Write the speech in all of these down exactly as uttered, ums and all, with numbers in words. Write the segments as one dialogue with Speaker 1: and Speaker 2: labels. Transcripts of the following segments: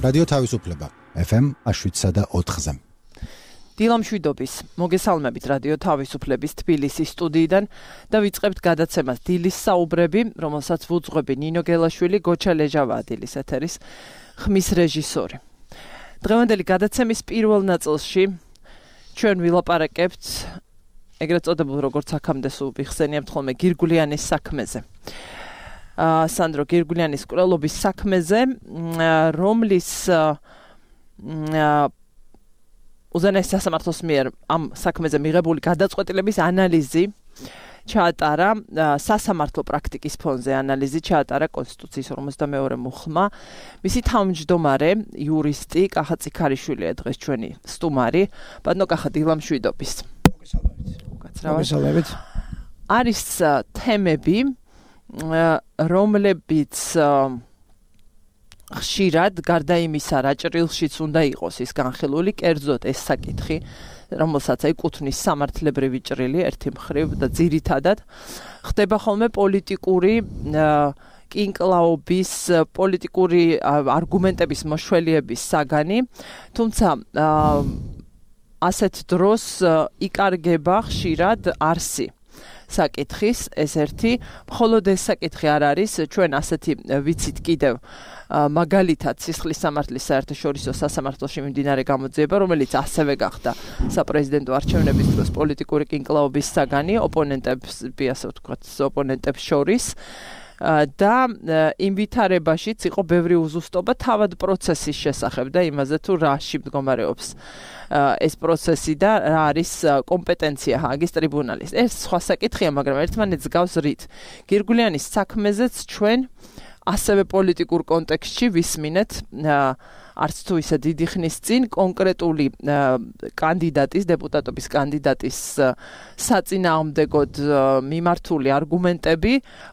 Speaker 1: რადიო თავისუფლება ეფ ემ შვიდსა და ოთხზე.
Speaker 2: დილამშვიდობის მოგესალმებით რადიო თავისუფლების თბილისის სტუდიიდან და ვიწყებთ გადაცემას დილის საუბრები, რომელსაც ვუძღვები ნინო გელაშვილი, გოჩა ლეჟავა დილის ეთერის ხმის რეჟისორი. დღევანდელი გადაცემის პირველ ნაწილში ჩვენ ვილაპარაკებთ ეგრეთ წოდებულ როგორც აქამდე სულ ვიხსენიებთ ხოლმე გირგულიანის საქმეზე. სანდრო გირგულიანის კვლელობის საქმეზე, რომლის უზენაეს სასამართლოს მიერ ამ საქმეზე მიღებული გადაწყვეტილების ანალიზი ჩაატარა სასამართლო პრაქტიკის ფონზე ანალიზი ჩაატარა კონსტიტუციის ორმოცდამეორე მუხლმა. მისი თავმჯდომარე იურისტი კახა წიქარიშვილია დღეს ჩვენი სტუმარი. ბატონო კახა, დილამშვიდობის.
Speaker 3: მოგესალმებით.
Speaker 2: არის თემები, რომლებიც ხშირად გარდა იმისა, რა ჭრილშიც უნდა იყოს ის განხილული, კერძოდ ეს საკითხი, რომელსაც ეკუთვნის სამართლებრივი ჭრილი ერთი მხრივ და ძირითადად ხდება ხოლმე პოლიტიკური კინკლაობის, პოლიტიკური არგუმენტების მოშველიების საგანი, თუმცა ასეთ დროს იკარგება ხშირად არსი საკითხის, ეს ერთი, მხოლოდ ეს საკითხი არ არის, ჩვენ ასეთი ვიცით კიდევ მაგალითად სისხლის სამართლის საერთაშორისო სასამართლოში მიმდინარე გამოძიება, რომელიც ასევე გახდა საპრეზიდენტო არჩევნების დროს პოლიტიკური კინკლაობის საგანი ოპონენტებს, ასე ვთქვათ, ოპონენტებს შორის და იმ ვითარებაშიც იყო ბევრი უზუსტობა თავად პროცესის შესახებ და იმაზე თუ რაში მდგომარეობს ეს პროცესი და რა არის კომპეტენცია ჰააგის ტრიბუნალის. ეს სხვა საკითხია, მაგრამ ერთმანეთს გავს რით. გირგულიანის საქმეზეც ჩვენ ასევე პოლიტიკურ კონტექსტში ვისმინეთ არც თუ ისე დიდი ხნის წინ კონკრეტული კანდიდატის, დეპუტატობის კანდიდატის საწინააღმდეგოდ მიმართული არგუმენტები.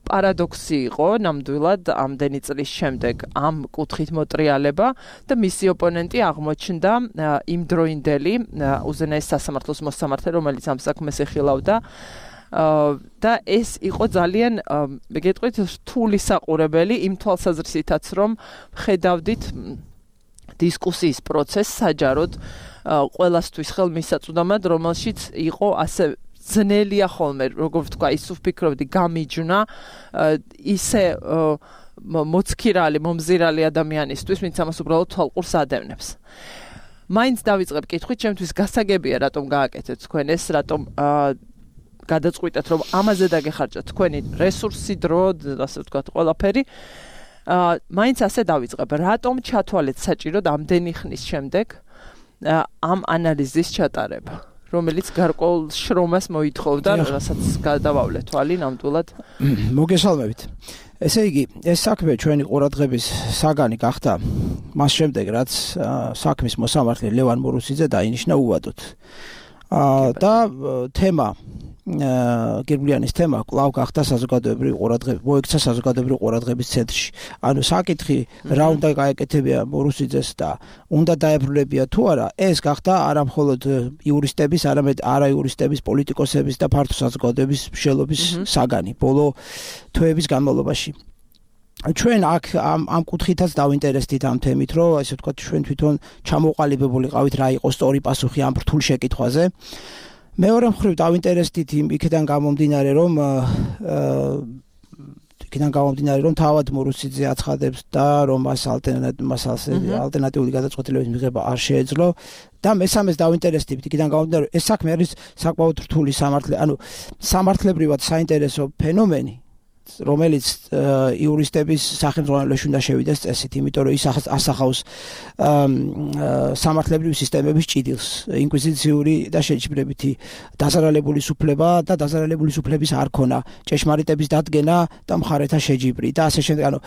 Speaker 2: პარადოქსი იყო ნამდვილად ამდენი წლის შემდეგ ამ კუთხით მოტრიალება და მისი ოპონენტი აღმოჩნდა იმდროინდელი უზენაეს სასამართლოს მოსამართლე, რომელიც ამ საქმეს ეხილავდა. და ეს იყო ძალიან, გეტყვით, რთული საყურებელი იმ თვალსაზრისითაც, რომ ხედავდით დისკუსიის პროცესს საჯაროდ ყველასთვის ხელმისაწვდომად, რომელშიც იყო ასე ძნელია ხოლმე, როგორ ვთქვა, ის ვფიქრობდი გამიჯვნა ისე მოცქირალი, მომზირალი ადამიანისთვის, ვინც ამას უბრალოდ თვალყურს ადევნებს. მაინც დავიწყებ კითხვით, ჩემთვის გასაგებია, რატომ გააკეთეთ თქვენ ეს, რატომ გადაწყვიტეთ, რომ ამაზე დაგეხარჯათ თქვენი რესურსი, დრო, ასე ვთქვათ, ყველაფერი. მაინც ასე დავიწყებ, რატომ ჩათვალეთ საჭიროდ ამდენი ხნის შემდეგ ამ ანალიზის ჩატარება, რომელიც გარკვეულ შრომას მოითხოვდა, რასაც გადავავლეთ თვალი ნამდვილად.
Speaker 3: მოგესალმებით. ესე იგი, ეს საქმე ჩვენი ყურადღების საგანი გახდა მას შემდეგ, რაც საქმის მოსამართლე ლევან მურუსიძე დაინიშნა უვადოდ. და თემა გირგულიანის თემა კვლავ გახდა საზოგადოებრივი ყურადღება, მოექცა საზოგადოებრივი ყურადღების ცენტრში. ანუ საკითხი რა უნდა გაეკეთებია მურუსიძეს და უნდა დაებრუნებია თუ არა, ეს გახდა არა მხოლოდ იურისტების, არამედ არაიურისტების, პოლიტიკოსების და ფართო საზოგადოების მსჯელობის საგანი ბოლო თვეების განმავლობაში. ჩვენ აქ ამ ამ კუთხითაც დავინტერესდით ამ თემით, რომ ასე ვთქვათ, ჩვენ თვითონ ჩამოყალიბებულიყავით რა იყო სწორი პასუხი ამ რთულ შეკითხვაზე. მეორე მხრივ დავინტერესდით იმ იქიდან გამომდინარე, რომ იქიდან გამომდინარე, რომ თავად მურუსიძე აცხადებს და რომ მას ალტერნატიული გადაწყვეტილებების მიღება არ შეეძლო და მესამეს დავინტერესდით იქიდან გამომდინარე, ეს საქმე არის საკმაოდ რთული სამართლე, ანუ სამართლებრივად საინტერესო ფენომენი, რომელიც იურისტების სახელმძღვანელოში უნდა შევიდეს წესით, იმიტომ რომ ის ასახავს სამართლებრივი სისტემების ჭიდილს, ინკვიზიციური და შეჯიბრებითი დაზარალებული სუფლება და დაზარალებული სუფლების არქონა, ჭეშმარიტების დადგენა და მხარეთა შეჯიბრი და ასე შემდეგ. ანუ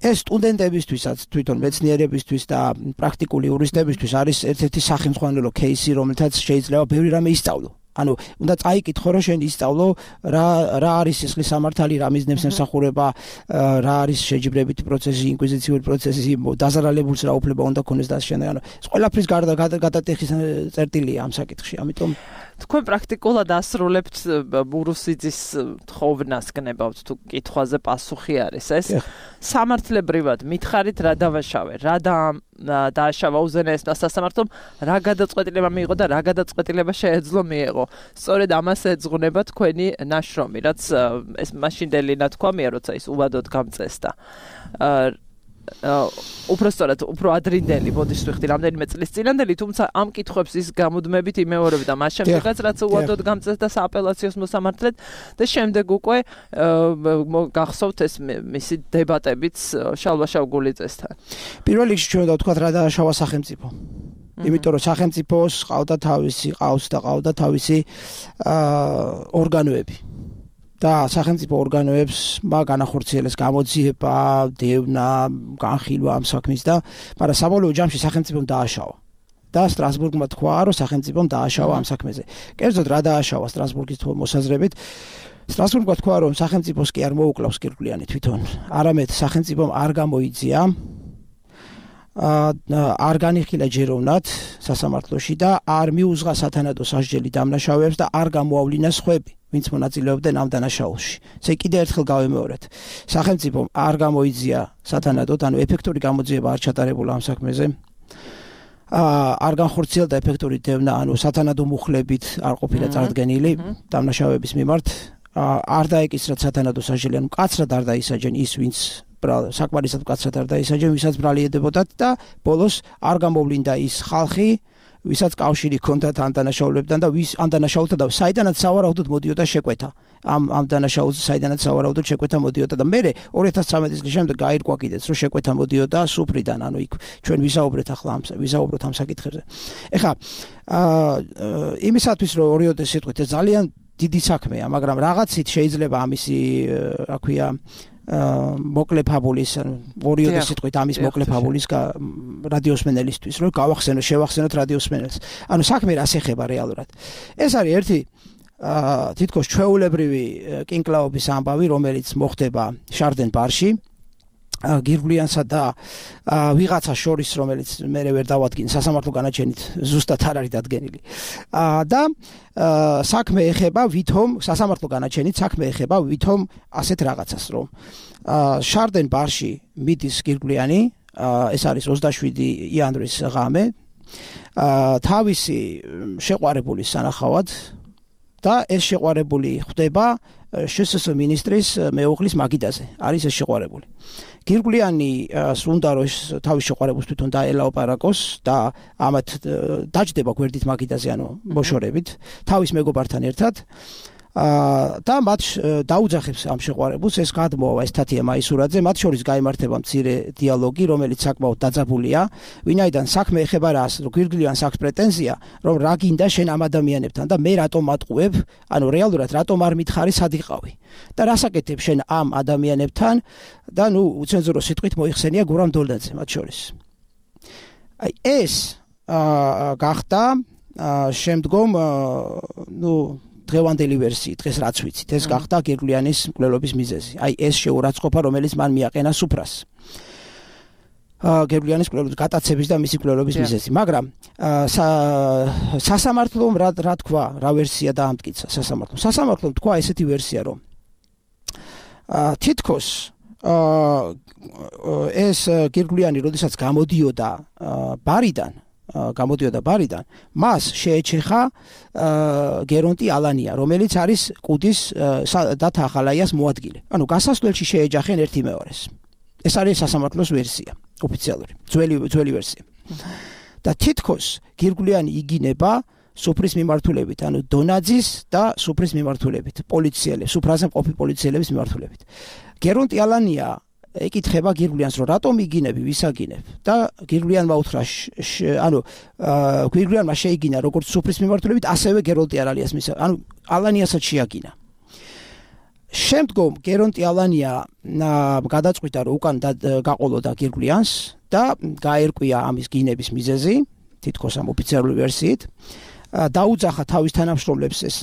Speaker 3: ეს სტუდენტებისთვისაც, თვითონ მეცნიერებისთვის და პრაქტიკული იურისტებისთვის არის ერთ-ერთი სახელმძღვანელო кейსი, რომელთაც შეიძლება ბევრი რამე ისწავლო. ანუ უნდა წაიკითხო, რომ შენ ისწავლო რა რა არის სისხლის სამართალი, რა მიზნებს ემსახურება, რა არის შეჯიბრებითი პროცესი, ინკვიზიციური პროცესი, დაზარალებულს რა უფლება უნდა ქონდეს და ასე შემდეგ. ანუ ეს ყველაფრის გარდა გადატეხის წერტილია ამ საკითხში. ამიტომ
Speaker 2: თქვენ პრაქტიკულად ასრულებთ მურუსიძის თხოვნას გნებავთ თუ კითხვაზე პასუხი არის ეს სამართლებრივად მითხარით რა დავაშავე რა დააშავა უზენაესმა სასამართლომ რა გადაწყვეტილება მიიღო და რა გადაწყვეტილება შეეძლო მიიღო სწორედ ამას ეძღვნება თქვენი ნაშრომი რაც ეს მაშინდელი ნათქვამია როცა ის უვადოდ გამწესდა უფრო სწორად უფრო ადრინდელი ბოდიშს ვიხდი რამდენიმე წლის წინანდელი თუმცა ამ კითხვებს ის გამუდმებით იმეორებდა მას შემდეგაც რაც უვადოდ გამწესდა სააპელაციოს მოსამართლედ და შემდეგ უკვე გახსოვთ ეს მისი დებატებიც შალვა შავგულიძესთან
Speaker 3: პირველ რიგში ჩვენ დავთქვათ რა დააშავა სახელმწიფო იმიტომ რომ სახელმწიფოს ყავდა თავისი ყავს და ყავდა თავისი ორგანოები და სახელმწიფო ორგანოებს მაგანახორციელეს გამოძიება, დევნა, განხილვა ამ საქმის და მაგრამ საბოლოო ჯამში სახელმწიფომ დააშავა. და სტრასბურგმა თქვა, რომ სახელმწიფომ დააშავა ამ საქმეზე. კერძოდ რა დააშავა სტრასბურგის მოსაზრებით? სტრასბურგმა თქვა, რომ სახელმწიფოს კი არ მოუკლავს კირკვლიანი თვითონ, არამედ სახელმწიფომ არ გამოიძია არ განიხილა ჯეროვნად სასამართლოში და არ მიუძღა სათანადო სასჯელი დამნაშავეებს და არ გამოავლინა სხვები, ვინც მონაწილეობდნენ ამ დანაშაულში. ესე კიდევ ერთხელ გავემეორეთ. სახელმწიფომ არ გამოიძია სათანადოდ, ანუ ეფექტური გამოძიება არ ჩატარებულა ამ საქმეზე. არ განხორციელდა ეფექტური დევნა, ანუ სათანადო მუხლებით არ ყოფილა წარდგენილი დამნაშავეების მიმართ. არ დაეკისრათ სათანადო სასჯელი, ანუ მკაცრად არ დაისაჯენ ის, ვინც საკმარისად მკაცრად არ დაისაჯენ, ვისაც ბრალი ედებოდათ და ბოლოს არ გამოვლინდა ის ხალხი, ვისაც კავშირი ჰქონდათ ამ დანაშაულებთან და ვის ამ დანაშაულთან და საიდანაც სავარაუდოდ მოდიოდა შეკვეთა. ამ ამ დანაშაულზე საიდანაც სავარაუდოდ შეკვეთა მოდიოდა და მერე ორი ათას ცხრამეტი წლის შემდეგ გაირკვა კიდეც, რომ შეკვეთა მოდიოდა სუფრიდან, ანუ იქ ჩვენ ვისაუბრეთ ახლა ამ ვისაუბროთ ამ საკითხებზე. ეხლა იმისათვის რომ ორიოდე სიტყვით ეს ძალიან დიდი საქმეა, მაგრამ რაღაცით შეიძლება ამისი რა ქვია მოკლე ფაბულის, ორიოდე სიტყვით ამის მოკლე ფაბულის რადიოსმენელისთვის, რომ გავახსენოთ, შევახსენოთ რადიოსმენელს. ანუ საქმე რას ეხება რეალურად. ეს არის ერთი თითქოს ჩვეულებრივი კინკლაობის ამბავი, რომელიც მოხდება შარდენ ბარში. გირგვლიანსა და ვიღაცა შორის, რომელიც მერე ვერ დავადგინ სასამართლო განაჩენით ზუსტად არ არის დადგენილი. და საქმე ეხება ვითომ სასამართლო განაჩენით საქმე ეხება ვითომ ასეთ რაღაცას, რომ შარდენ ბარში მიდის გირგვლიანი, ეს არის ოცდაშვიდი იანვრის ღამე, თავისი შეყვარებულის სანახავად და ეს შეყვარებული ხდება შსს მინისტრის მეუღლის მაგიდაზე. არის ეს შეყვარებული. გირგვლიანი სუნდა რომ თავის შეყვარებულს თვითონ დაელაოპარაკოს და ამათ დაჯდება გვერდით მაგიდაზე, ანუ მოშორებით, თავის მეგობართან ერთად. და მათ დაუძახებს ამ შეყვარებულს, ეს გადმოვა ეს თათია მაისურაძე, მათ შორის გაიმართება მცირე დიალოგი, რომელიც საკმაოდ დაძაბულია, ვინაიდან საქმე ეხება რას, რომ გირგვლიანს აქვს პრეტენზია, რომ რა გინდა შენ ამ ადამიანებთან და მე რატომ მატყუებ, ანუ რეალურად რატომ არ მითხარი სად იყავი და რას აკეთებ შენ ამ ადამიანებთან და ნუ უცენზურო სიტყვით მოიხსენია გურამ დოლდაძე მათ შორის. აი ეს გახდა შემდგომ ნუ დღევანდელი ვერსიით, დღეს რაც ვიცით, ეს გახდა გირგვლიანის მკვლელობის მიზეზი. აი ეს შეურაცხყოფა, რომელიც მან მიაყენა სუფრას. გირგვლიანის მკვლელობის გატაცების და მისი მკვლელობის მიზეზი, მაგრამ სასამართლომ რა რა თქვა, რა ვერსია დაამტკიცა სასამართლომ. სასამართლომ თქვა ესეთი ვერსია, რომ თითქოს ეს გირგვლიანი, როდესაც გამოდიოდა ბარიდან გამოდიოდა ბარიდან, მას შეეჩეხა გერონტი ალანია, რომელიც არის კუდის დათა ახალაიას მოადგილე. ანუ გასასვლელში შეეჯახენ ერთი მეორეს. ეს არის სასამართლოს ვერსია, ოფიციალური, ძველი ძველი ვერსია. და თითქოს გირგვლიანი იგინება სუფრის მიმართულებით, ანუ დონაძის და სუფრის მიმართულებით, პოლიციელებს, სუფრაზე მყოფი პოლიციელების მიმართულებით. გერონტი ალანია ეკითხება გირგვლიანს, რომ რატომ იგინები, ვის აგინებ? და გირგვლიანმა უთხრა, ანუ გირგვლიანმა შეიგინა როგორც სუფრის მიმართულებით, ასევე გერონტი ალანიას მის, ანუ ალანიასაც შეაგინა. შემდგომ გერონტი ალანია გადაწყვიტა, რომ უკან გაყოლოდა გირგვლიანს და გაერკვია ამის გინების მიზეზი, თითქოს ამ ოფიციალური ვერსიით. დაუძახა თავის თანამშრომლებს, ეს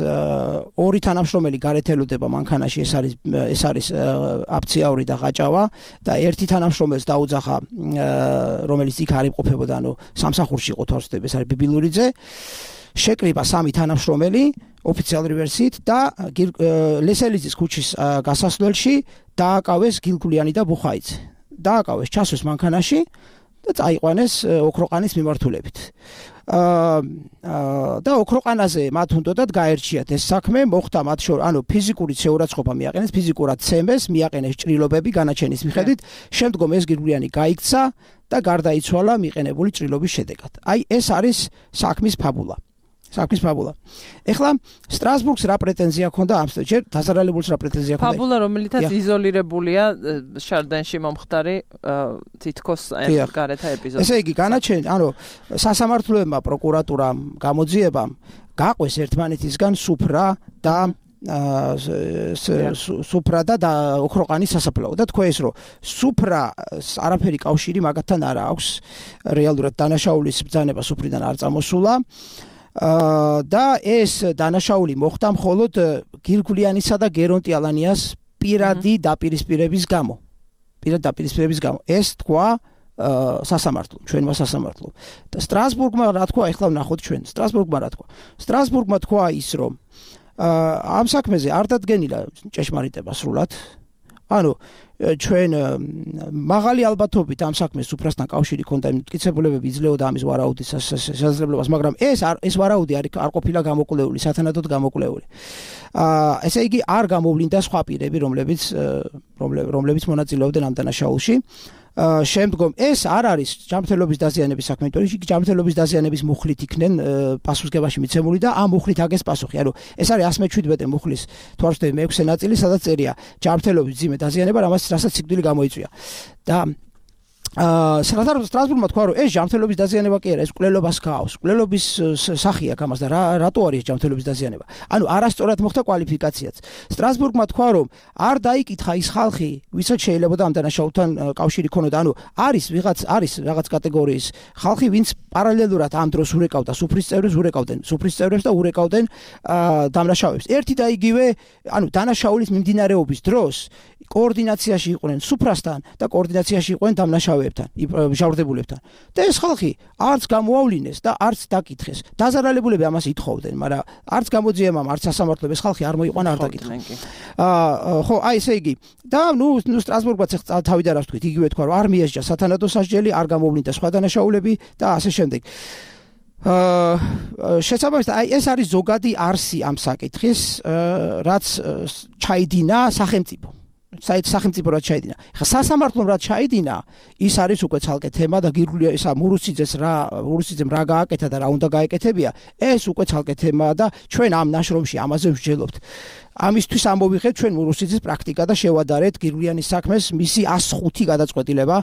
Speaker 3: ორი თანამშრომელი გარეთ ელოდება მანქანაში, ეს არის ეს არის აფციაური და ყაჭავა და ერთი თანამშრომელს დაუძახა, რომელიც იქ არ იმყოფებოდა, ანუ სამსახურში იყო თორსდები, ეს არის ბიბილურიძე. შეკრიბა სამი თანამშრომელი ოფიციალური ვერსიით და ლესელიძის ქუჩის გასასვლელში დააკავეს გილგულიანი და ბუხაიძე. დააკავეს, ჩასვეს მანქანაში და წაიყვანეს ოქროყანის მიმართულებით. აა და ოქროყანაზე მათ უნდათ გაერჩიათ ეს საქმე, მოხდა მათ შორის, ანუ ფიზიკური შეურაცხყოფა მიაყენეს, ფიზიკურად ცემეს, მიაყენეს ჭრილობები განაჩენის მიხედვით, შემდგომ ეს გილგულიანი გაიქცა და გარდაიცვალა მიყენებული ჭრილობის შედეგად. აი ეს არის საქმის ფაბულა. საქმის ფაბულა. ეხლა სტრასბურგს რა პრეტენზია ჰქონდა ამ ჯერ დასარალებულს რა პრეტენზია ჰქონდა?
Speaker 2: ფაბულა, რომელითაც იზოლირებულია შარდენში მომხდარი თითქოს გარეთ ეპიზოდი.
Speaker 3: ესე იგი, განაჩენი, ანუ სასამართლოებმა, პროკურატურამ, გამოძიებამ გაყვეს ერთმანეთისგან სუფრა და სუფრა და ოქროყანის სასაფლაო და თქვა ეს რომ სუფრა არაფერი კავშირი მაგათთან არ აქვს. რეალურად დანაშაულის ბრძანება სუფრიდან არ წამოსულა. და ეს დანაშაული მოხდა მხოლოდ გილგულიანისა და გერონტი ალანიას პირადი დაპირისპირების გამო. პირადი დაპირისპირების გამო. ეს თქვა სასამართლო, ჩვენმა სასამართლო. და სტრასბურგმა რა თქვა, ეხლა ვნახოთ ჩვენ. სტრასბურგმა რა თქვა? სტრასბურგმა თქვა ის, რომ ამ საქმეზე არ დადგენილა ჭეშმარიტება სრულად. ანუ ჩვენ მაღალი ალბათობით ამ საქმეს სუფრასთან კავშირი ჰქონდა, მტკიცებულებები იძლეოდა ამის ვარაუდის შესაძლებლობას, მაგრამ ეს ეს ვარაუდი არ არ ყოფილა გამოკვლეული, სათანადოდ გამოკვლეული. აა ესე იგი არ გამოვლინდა სხვა პირები, რომლებიც რომლებიც მონაწილეობდნენ ამ დანაშაულში. შემდგომ ეს არ არის ჯანმრთელობის დაზიანების საქმე, იმიტომ რომ ჯანმრთელობის დაზიანების მუხლით იქნენ პასუხისგებაში მიცემული და ამ მუხლით აგეს პასუხი. ანუ ეს არის one seventy-seven მუხლის თუ არ ვთქვი მეექვსე ნაწილი, სადაც წერია ჯანმრთელობის ძიმე დაზიანება, რამაც რასაც სიკვდილი გამოიწვია. და აა სტრასბურგმა თქვა რომ ეს ჯანმრთელობის დაზიანება კი არა, ეს მკვლელობას გაავს. მკვლელობის სახი აქვს ამას და რა რატო არის ჯანმრთელობის დაზიანება? ანუ არასწორად მოხდა კვალიფიკაციაც. სტრასბურგმა თქვა რომ არ დაიკითხა ის ხალხი, ვისაც შეიძლება ამ დანაშაულთან კავშირი ქონოდა. ანუ არის ვიღაც არის რაღაც კატეგორიის ხალხი, ვინც პარალელურად ამ დროს ურეკავდა სუფრის წევრებს, ურეკავდნენ სუფრის წევრებს და ურეკავდნენ დამნაშავეებს. ერთი და იგივე, ანუ დანაშაულის მიმდინარეობის დროს კოორდინაციაში იყვნენ სუფრასთან და კოორდინაციაში იყვნენ დამნაშავეებთან, მჟავრდებულებთან. და ეს ხალხი არც გამოავლინეს და არც დაკითხეს. დაზარალებულები ამას ითხოვდნენ, მაგრამ არც გამოძიებამ, არც სასამართლომ ეს ხალხი არ მოიყვანა, არ დაკითხა. აა ხო, აი ესე იგი. და ნუ ნუ სტრასბურგმაც თავიდან რა ვთქვით, იგივე თქვა რომ არ მიესჯა სათანადო სასჯელი, არ გამოვლინდა სხვა დანაშაულები და ასე შემდეგ. აა შესაბამისად, აი ეს არის ზოგადი არსი ამ საკითხის, რაც ჩაიდინა სახელმწიფო. საით სახელმწიფო რაც ჩაიდინა. ხა სასამართლომ რაც ჩაიდინა, ის არის უკვე ცალკე თემა და გირგულია ისა მურუსიძეს რა მურუსიძემ რა გააკეთა და რა უნდა გაეკეთებია, ეს უკვე ცალკე თემაა და ჩვენ ამ ნაშრომში ამაზე ვსჯელობთ. ამისთვის ამოვიღეთ ჩვენ მურუსიძის პრაქტიკა და შევადარეთ გირგულიანის საქმეს მისი one oh five გადაწყვეტილება,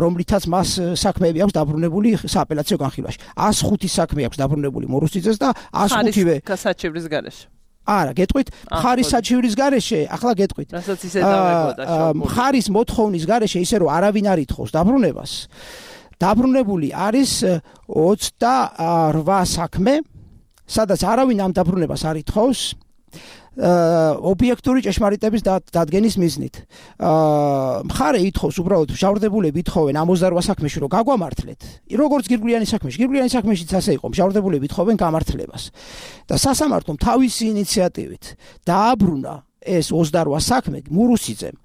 Speaker 3: რომლითაც მას საქმეები აქვს დაბრუნებული სააპელაციო განხილვაში. one oh five საქმე აქვს დაბრუნებული მურუსიძეს და one oh five-ვე
Speaker 2: საჩივრის გარეშე.
Speaker 3: არა, გეტყვით, მხარის საჩივრის გარეშე, ახლა გეტყვით.
Speaker 2: რასაც ისე დავეგოდა შობული.
Speaker 3: მხარის მოთხოვნის გარეშე ისე რომ არავინ არ ითხოვს დაბრუნებას. დაბრუნებული არის ოცდაორ საქმე, სადაც არავინ ამ დაბრუნებას არ ითხოვს. ობიექტური ჭეშმარიტების დადგენის მიზნით. მხარე ითხოვს უბრალოდ მჟავრდებულები ითხოვენ ოცდაორ საქმეში რომ გაგვამართლეთ. როგორც გირგულიანის საქმეში, გირგულიანის საქმეშიც ასე იყო, მჟავრდებულები ითხოვენ გამართლებას. და სასამართლომ თავისი ინიციატივით დააბრუნა ეს ოცდაორ საქმე მურუსიძემ.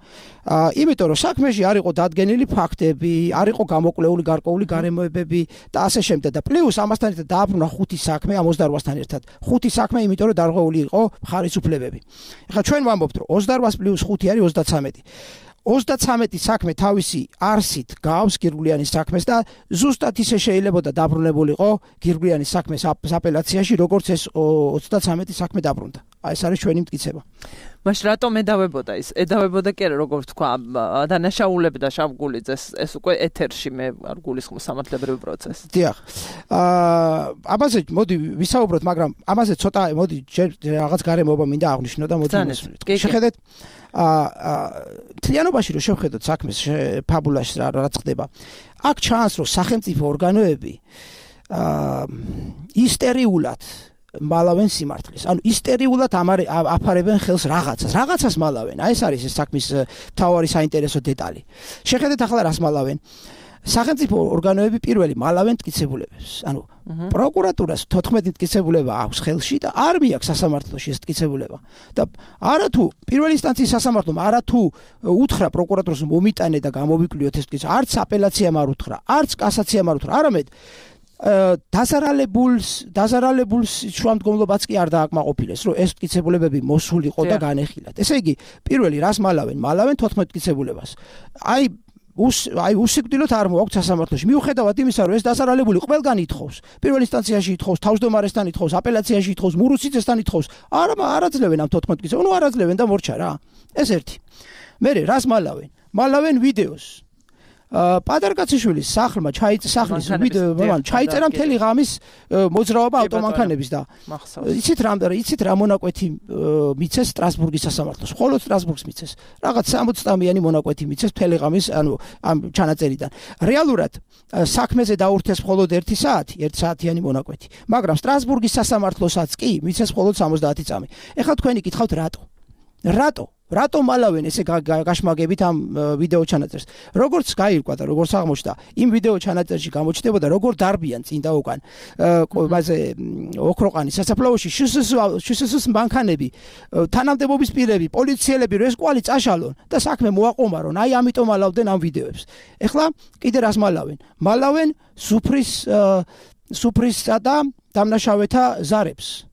Speaker 3: აა იმიტომ რომ საქმეში არ იყო დადგენილი ფაქტები, არ იყო გამოკვლეული გარკვეული გარემოებები და ასე შემდეგ და პლუს ამასთან ერთად დააბრუნა ხუთი საქმე ამ ოცდაორ-სთან ერთად. ხუთი საქმე იმიტომ რომ დარღვეული იყო მხარის უფლებები. ეხლა ჩვენ ვამბობთ რომ ოცდაორ პლუს ხუთი არის ოცდათვრამეტი. ოცდათვრამეტი საქმე თავისი არსით გავს გირგულიანის საქმეს და ზუსტად ისე შეიძლებოდა დაბრუნებულიყო გირგულიანის საქმეს აპელაციაში, როგორც ეს ოცდათვრამეტი საქმე დაბრუნდა. აი ეს არის ჩვენი მტკიცება.
Speaker 2: მაშ რატომ ედავებოდა ის? ედავებოდა კი არა, როგორც თქვა, დანაშაულები და შავგულიძეს, ეს უკვე ეთერში მე არ გულისხმობ სამართლებრივ პროცესს.
Speaker 3: დიახ. აა ამაზე მოდი ვისაუბროთ, მაგრამ ამაზე ცოტა მოდი რაღაც გარემოება მინდა აღვნიშნო და მოდი შეხედეთ. აა თლიანობაში რომ შევხედოთ საქმეს ფაბულაში რა ხდება. აქ ჩანს რომ სახელმწიფო ორგანოები აა ისტერიულად მალავენ სიმართლეს. ანუ ისტერიულად აფარებენ ხელს რაღაცას. რაღაცას მალავენ. აი ეს არის ეს საქმის მთავარი საინტერესო დეტალი. შეხედეთ ახლა რას მალავენ. სახელმწიფო ორგანოები პირველი მალავენ მტკიცებულებებს. ანუ პროკურატურას თოთხმეტი მტკიცებულება აქვს ხელში და არ მიაქვს სასამართლოში ეს მტკიცებულება. და არათუ პირველი ინსტანციის სასამართლომ არათუ უთხრა პროკურატურას მომიტანე და გამოვიკვლიოთ ეს მტკიცება, არც აპელაციამ არ უთხრა, არც კასაციამ არ უთხრა, არამედ დაზარალებულს დაზარალებულს შუამდგომლობაც კი არ დააკმაყოფილეს, რომ ეს მტკიცებულებები მოსულიყო და განეხილათ. ესე იგი, პირველი რას მალავენ? მალავენ თოთხმეტ მტკიცებულებას. აი უს აი უსიკვდილოდ არ მოაქვს სასამართლოში. მიუხედავად იმისა, რომ ეს დაზარალებული ყველგან ითხოვს, პირველ ინსტანციაში ითხოვს, თავმჯდომარესთან ითხოვს, აპელაციაში ითხოვს, მურუსიძესთან ითხოვს, არა არაძლევენ ამ თოთხმეტ მტკიცებულებას. ნუ არაძლევენ და მორჩა რა. ეს ერთი. მერე რას მალავენ? მალავენ ვიდეოს. პატარკაციშვილის სახლმა ჩაიწერა სახლის ვიდეო, ჩაიწერა მთელი ღამის მოძრაობა ავტომანქანების და იცით რა იცით რა მონაკვეთი მიცეს სტრასბურგის სასამართლოს. მხოლოდ სტრასბურგს მიცეს. რაღაც სამოცდამიანი მონაკვეთი მიცეს მთელი ღამის, ანუ ამ ჩანაწერიდან. რეალურად საქმეზე დაურთეს მხოლოდ ერთი საათი, ერთი საათიანი მონაკვეთი. მაგრამ სტრასბურგის სასამართლოსაც კი მიცეს მხოლოდ სამოცდაათი წამი. ეხლა თქვენი გითხავთ რატო? რატო? რატომ მალავენ ესე გაშმაგებით ამ ვიდეო ჩანაწერს? როგორც გაირკვა და როგორც აღმოჩნდა, იმ ვიდეო ჩანაწერში გამოჩნდებოდა როგორ დარბიან წინ და უკან მასე ოქროყანის სასაფლაოში შსს მანქანები, თანამდებობის პირები, პოლიციელები, რომ ეს კვალი წაშალონ და საქმე მოაყომარონ. აი ამიტომ მალავდნენ ამ ვიდეოებს. ეხლა კიდე რას მალავენ? მალავენ სუფრის სუფრისა და დამნაშავეთა ზარებს.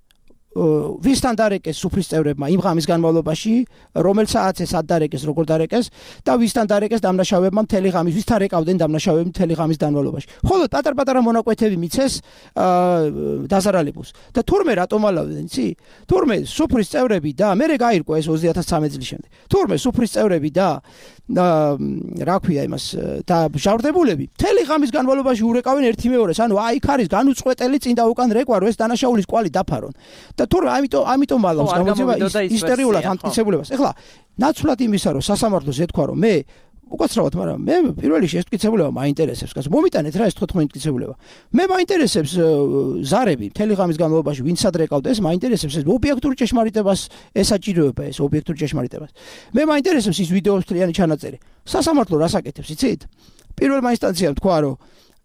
Speaker 3: ვისთან დარეკეს სუფრის წევრებმა იმ ღამის განმავლობაში, რომელ საათზე სად დარეკეს, როგორ დარეკეს და ვისთან დარეკეს დამნაშავებმა მთელი ღამის, ვისთან რეკავდნენ დამნაშავეები მთელი ღამის განმავლობაში. ხოლო პატარ-პატარა მონაკვეთები მიცეს დაზარალებულს. და თურმე რატომ მალავდნენ, იცი? თურმე სუფრის წევრები და მე გაირკვა ეს ოცდაათი ათასცამეტ წლის შემდეგ. თურმე სუფრის წევრები და რა ქვია იმას და ჟავრდებულები მთელი ღამის განმავლობაში ურეკავენ ერთი მეორეს, ანუ აი იქ არის განუწყვეტელი წინ და უკან რეკვა, რომ ეს დანაშაულის კვალი დაფარონ. და თორე ამიტომ ამიტომ მალავს გამოძიება ისტორიულად ამტკიცებულებას. ეხლა ნაცვლად იმისა, რომ სასამართლოს ეთქვა, რომ მე უკაცრავად, მაგრამ მე პირველ რიგში ეს მტკიცებულება მაინტერესებს, კაცო. მომიტანეთ რა ეს თოთხმეტი მტკიცებულება. მე მაინტერესებს ზარები მთელი ღამის განმავლობაში ვინც სად რეკავდა, ეს მაინტერესებს ეს ობიექტური ჭეშმარიტებას ესაჭიროება ეს ობიექტური ჭეშმარიტებას. მე მაინტერესებს ის ვიდეოს მთლიანი ჩანაწერი. სასამართლო რას აკეთებს, იცით? პირველმა ინსტანციამ თქვა, რომ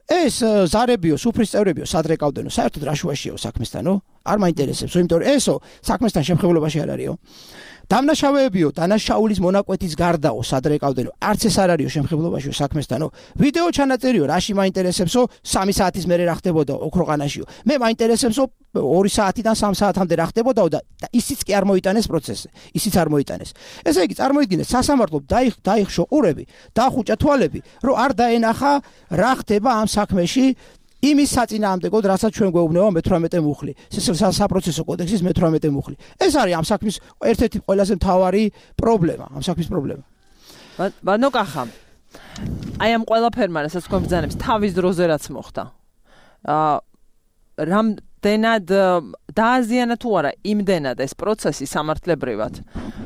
Speaker 3: ეს ზარებიო, სუფრის წევრებიო, სად რეკავდენო, საერთოდ რა შუაშიაო საქმესთანო? არ მაინტერესებს, იმიტომ რომ ესო საქმესთან შემხებულობაში არ არისო. დამნაშავეებიო, დანაშაულის მონაკვეთის გარდაო, სად რეკავდენო, არც ეს არ არისო შემხებულობაშიო საქმესთანო. ვიდეო ჩანაწერიო, რაში მაინტერესებსო, სამი საათის მერე რა ხდებოდა ოქროყანაშიო. მე მაინტერესებსო ორი საათიდან სამ საათამდე რა ხდებოდაო და ისიც კი არ მოიტანეს პროცესზე. ისიც არ მოიტანეს. ესე იგი, წარმოიდგინეთ, სასამართლომ დაიხშო ყურები, დაახუჭა თვალები, რომ არ დაენახა რა ხდება ამ საქმეში. იმის საწინააღმდეგოდ, რასაც ჩვენ გვეუბნება მეთვრამეტე მუხლი, საპროცესო კოდექსის მეთვრამეტე მუხლი. ეს არის ამ საქმის ერთ-ერთი ყველაზე მთავარი პრობლემა, ამ საქმის პრობლემა.
Speaker 2: ბანო კახა. აი ამ ყველაფერმა, რასაც თქვენ ბრძანებს, თავის დროზე რაც მოხდა. აა რამდენად დააზიანა თუ არა იმდენად ეს პროცესი სამართლებრივად,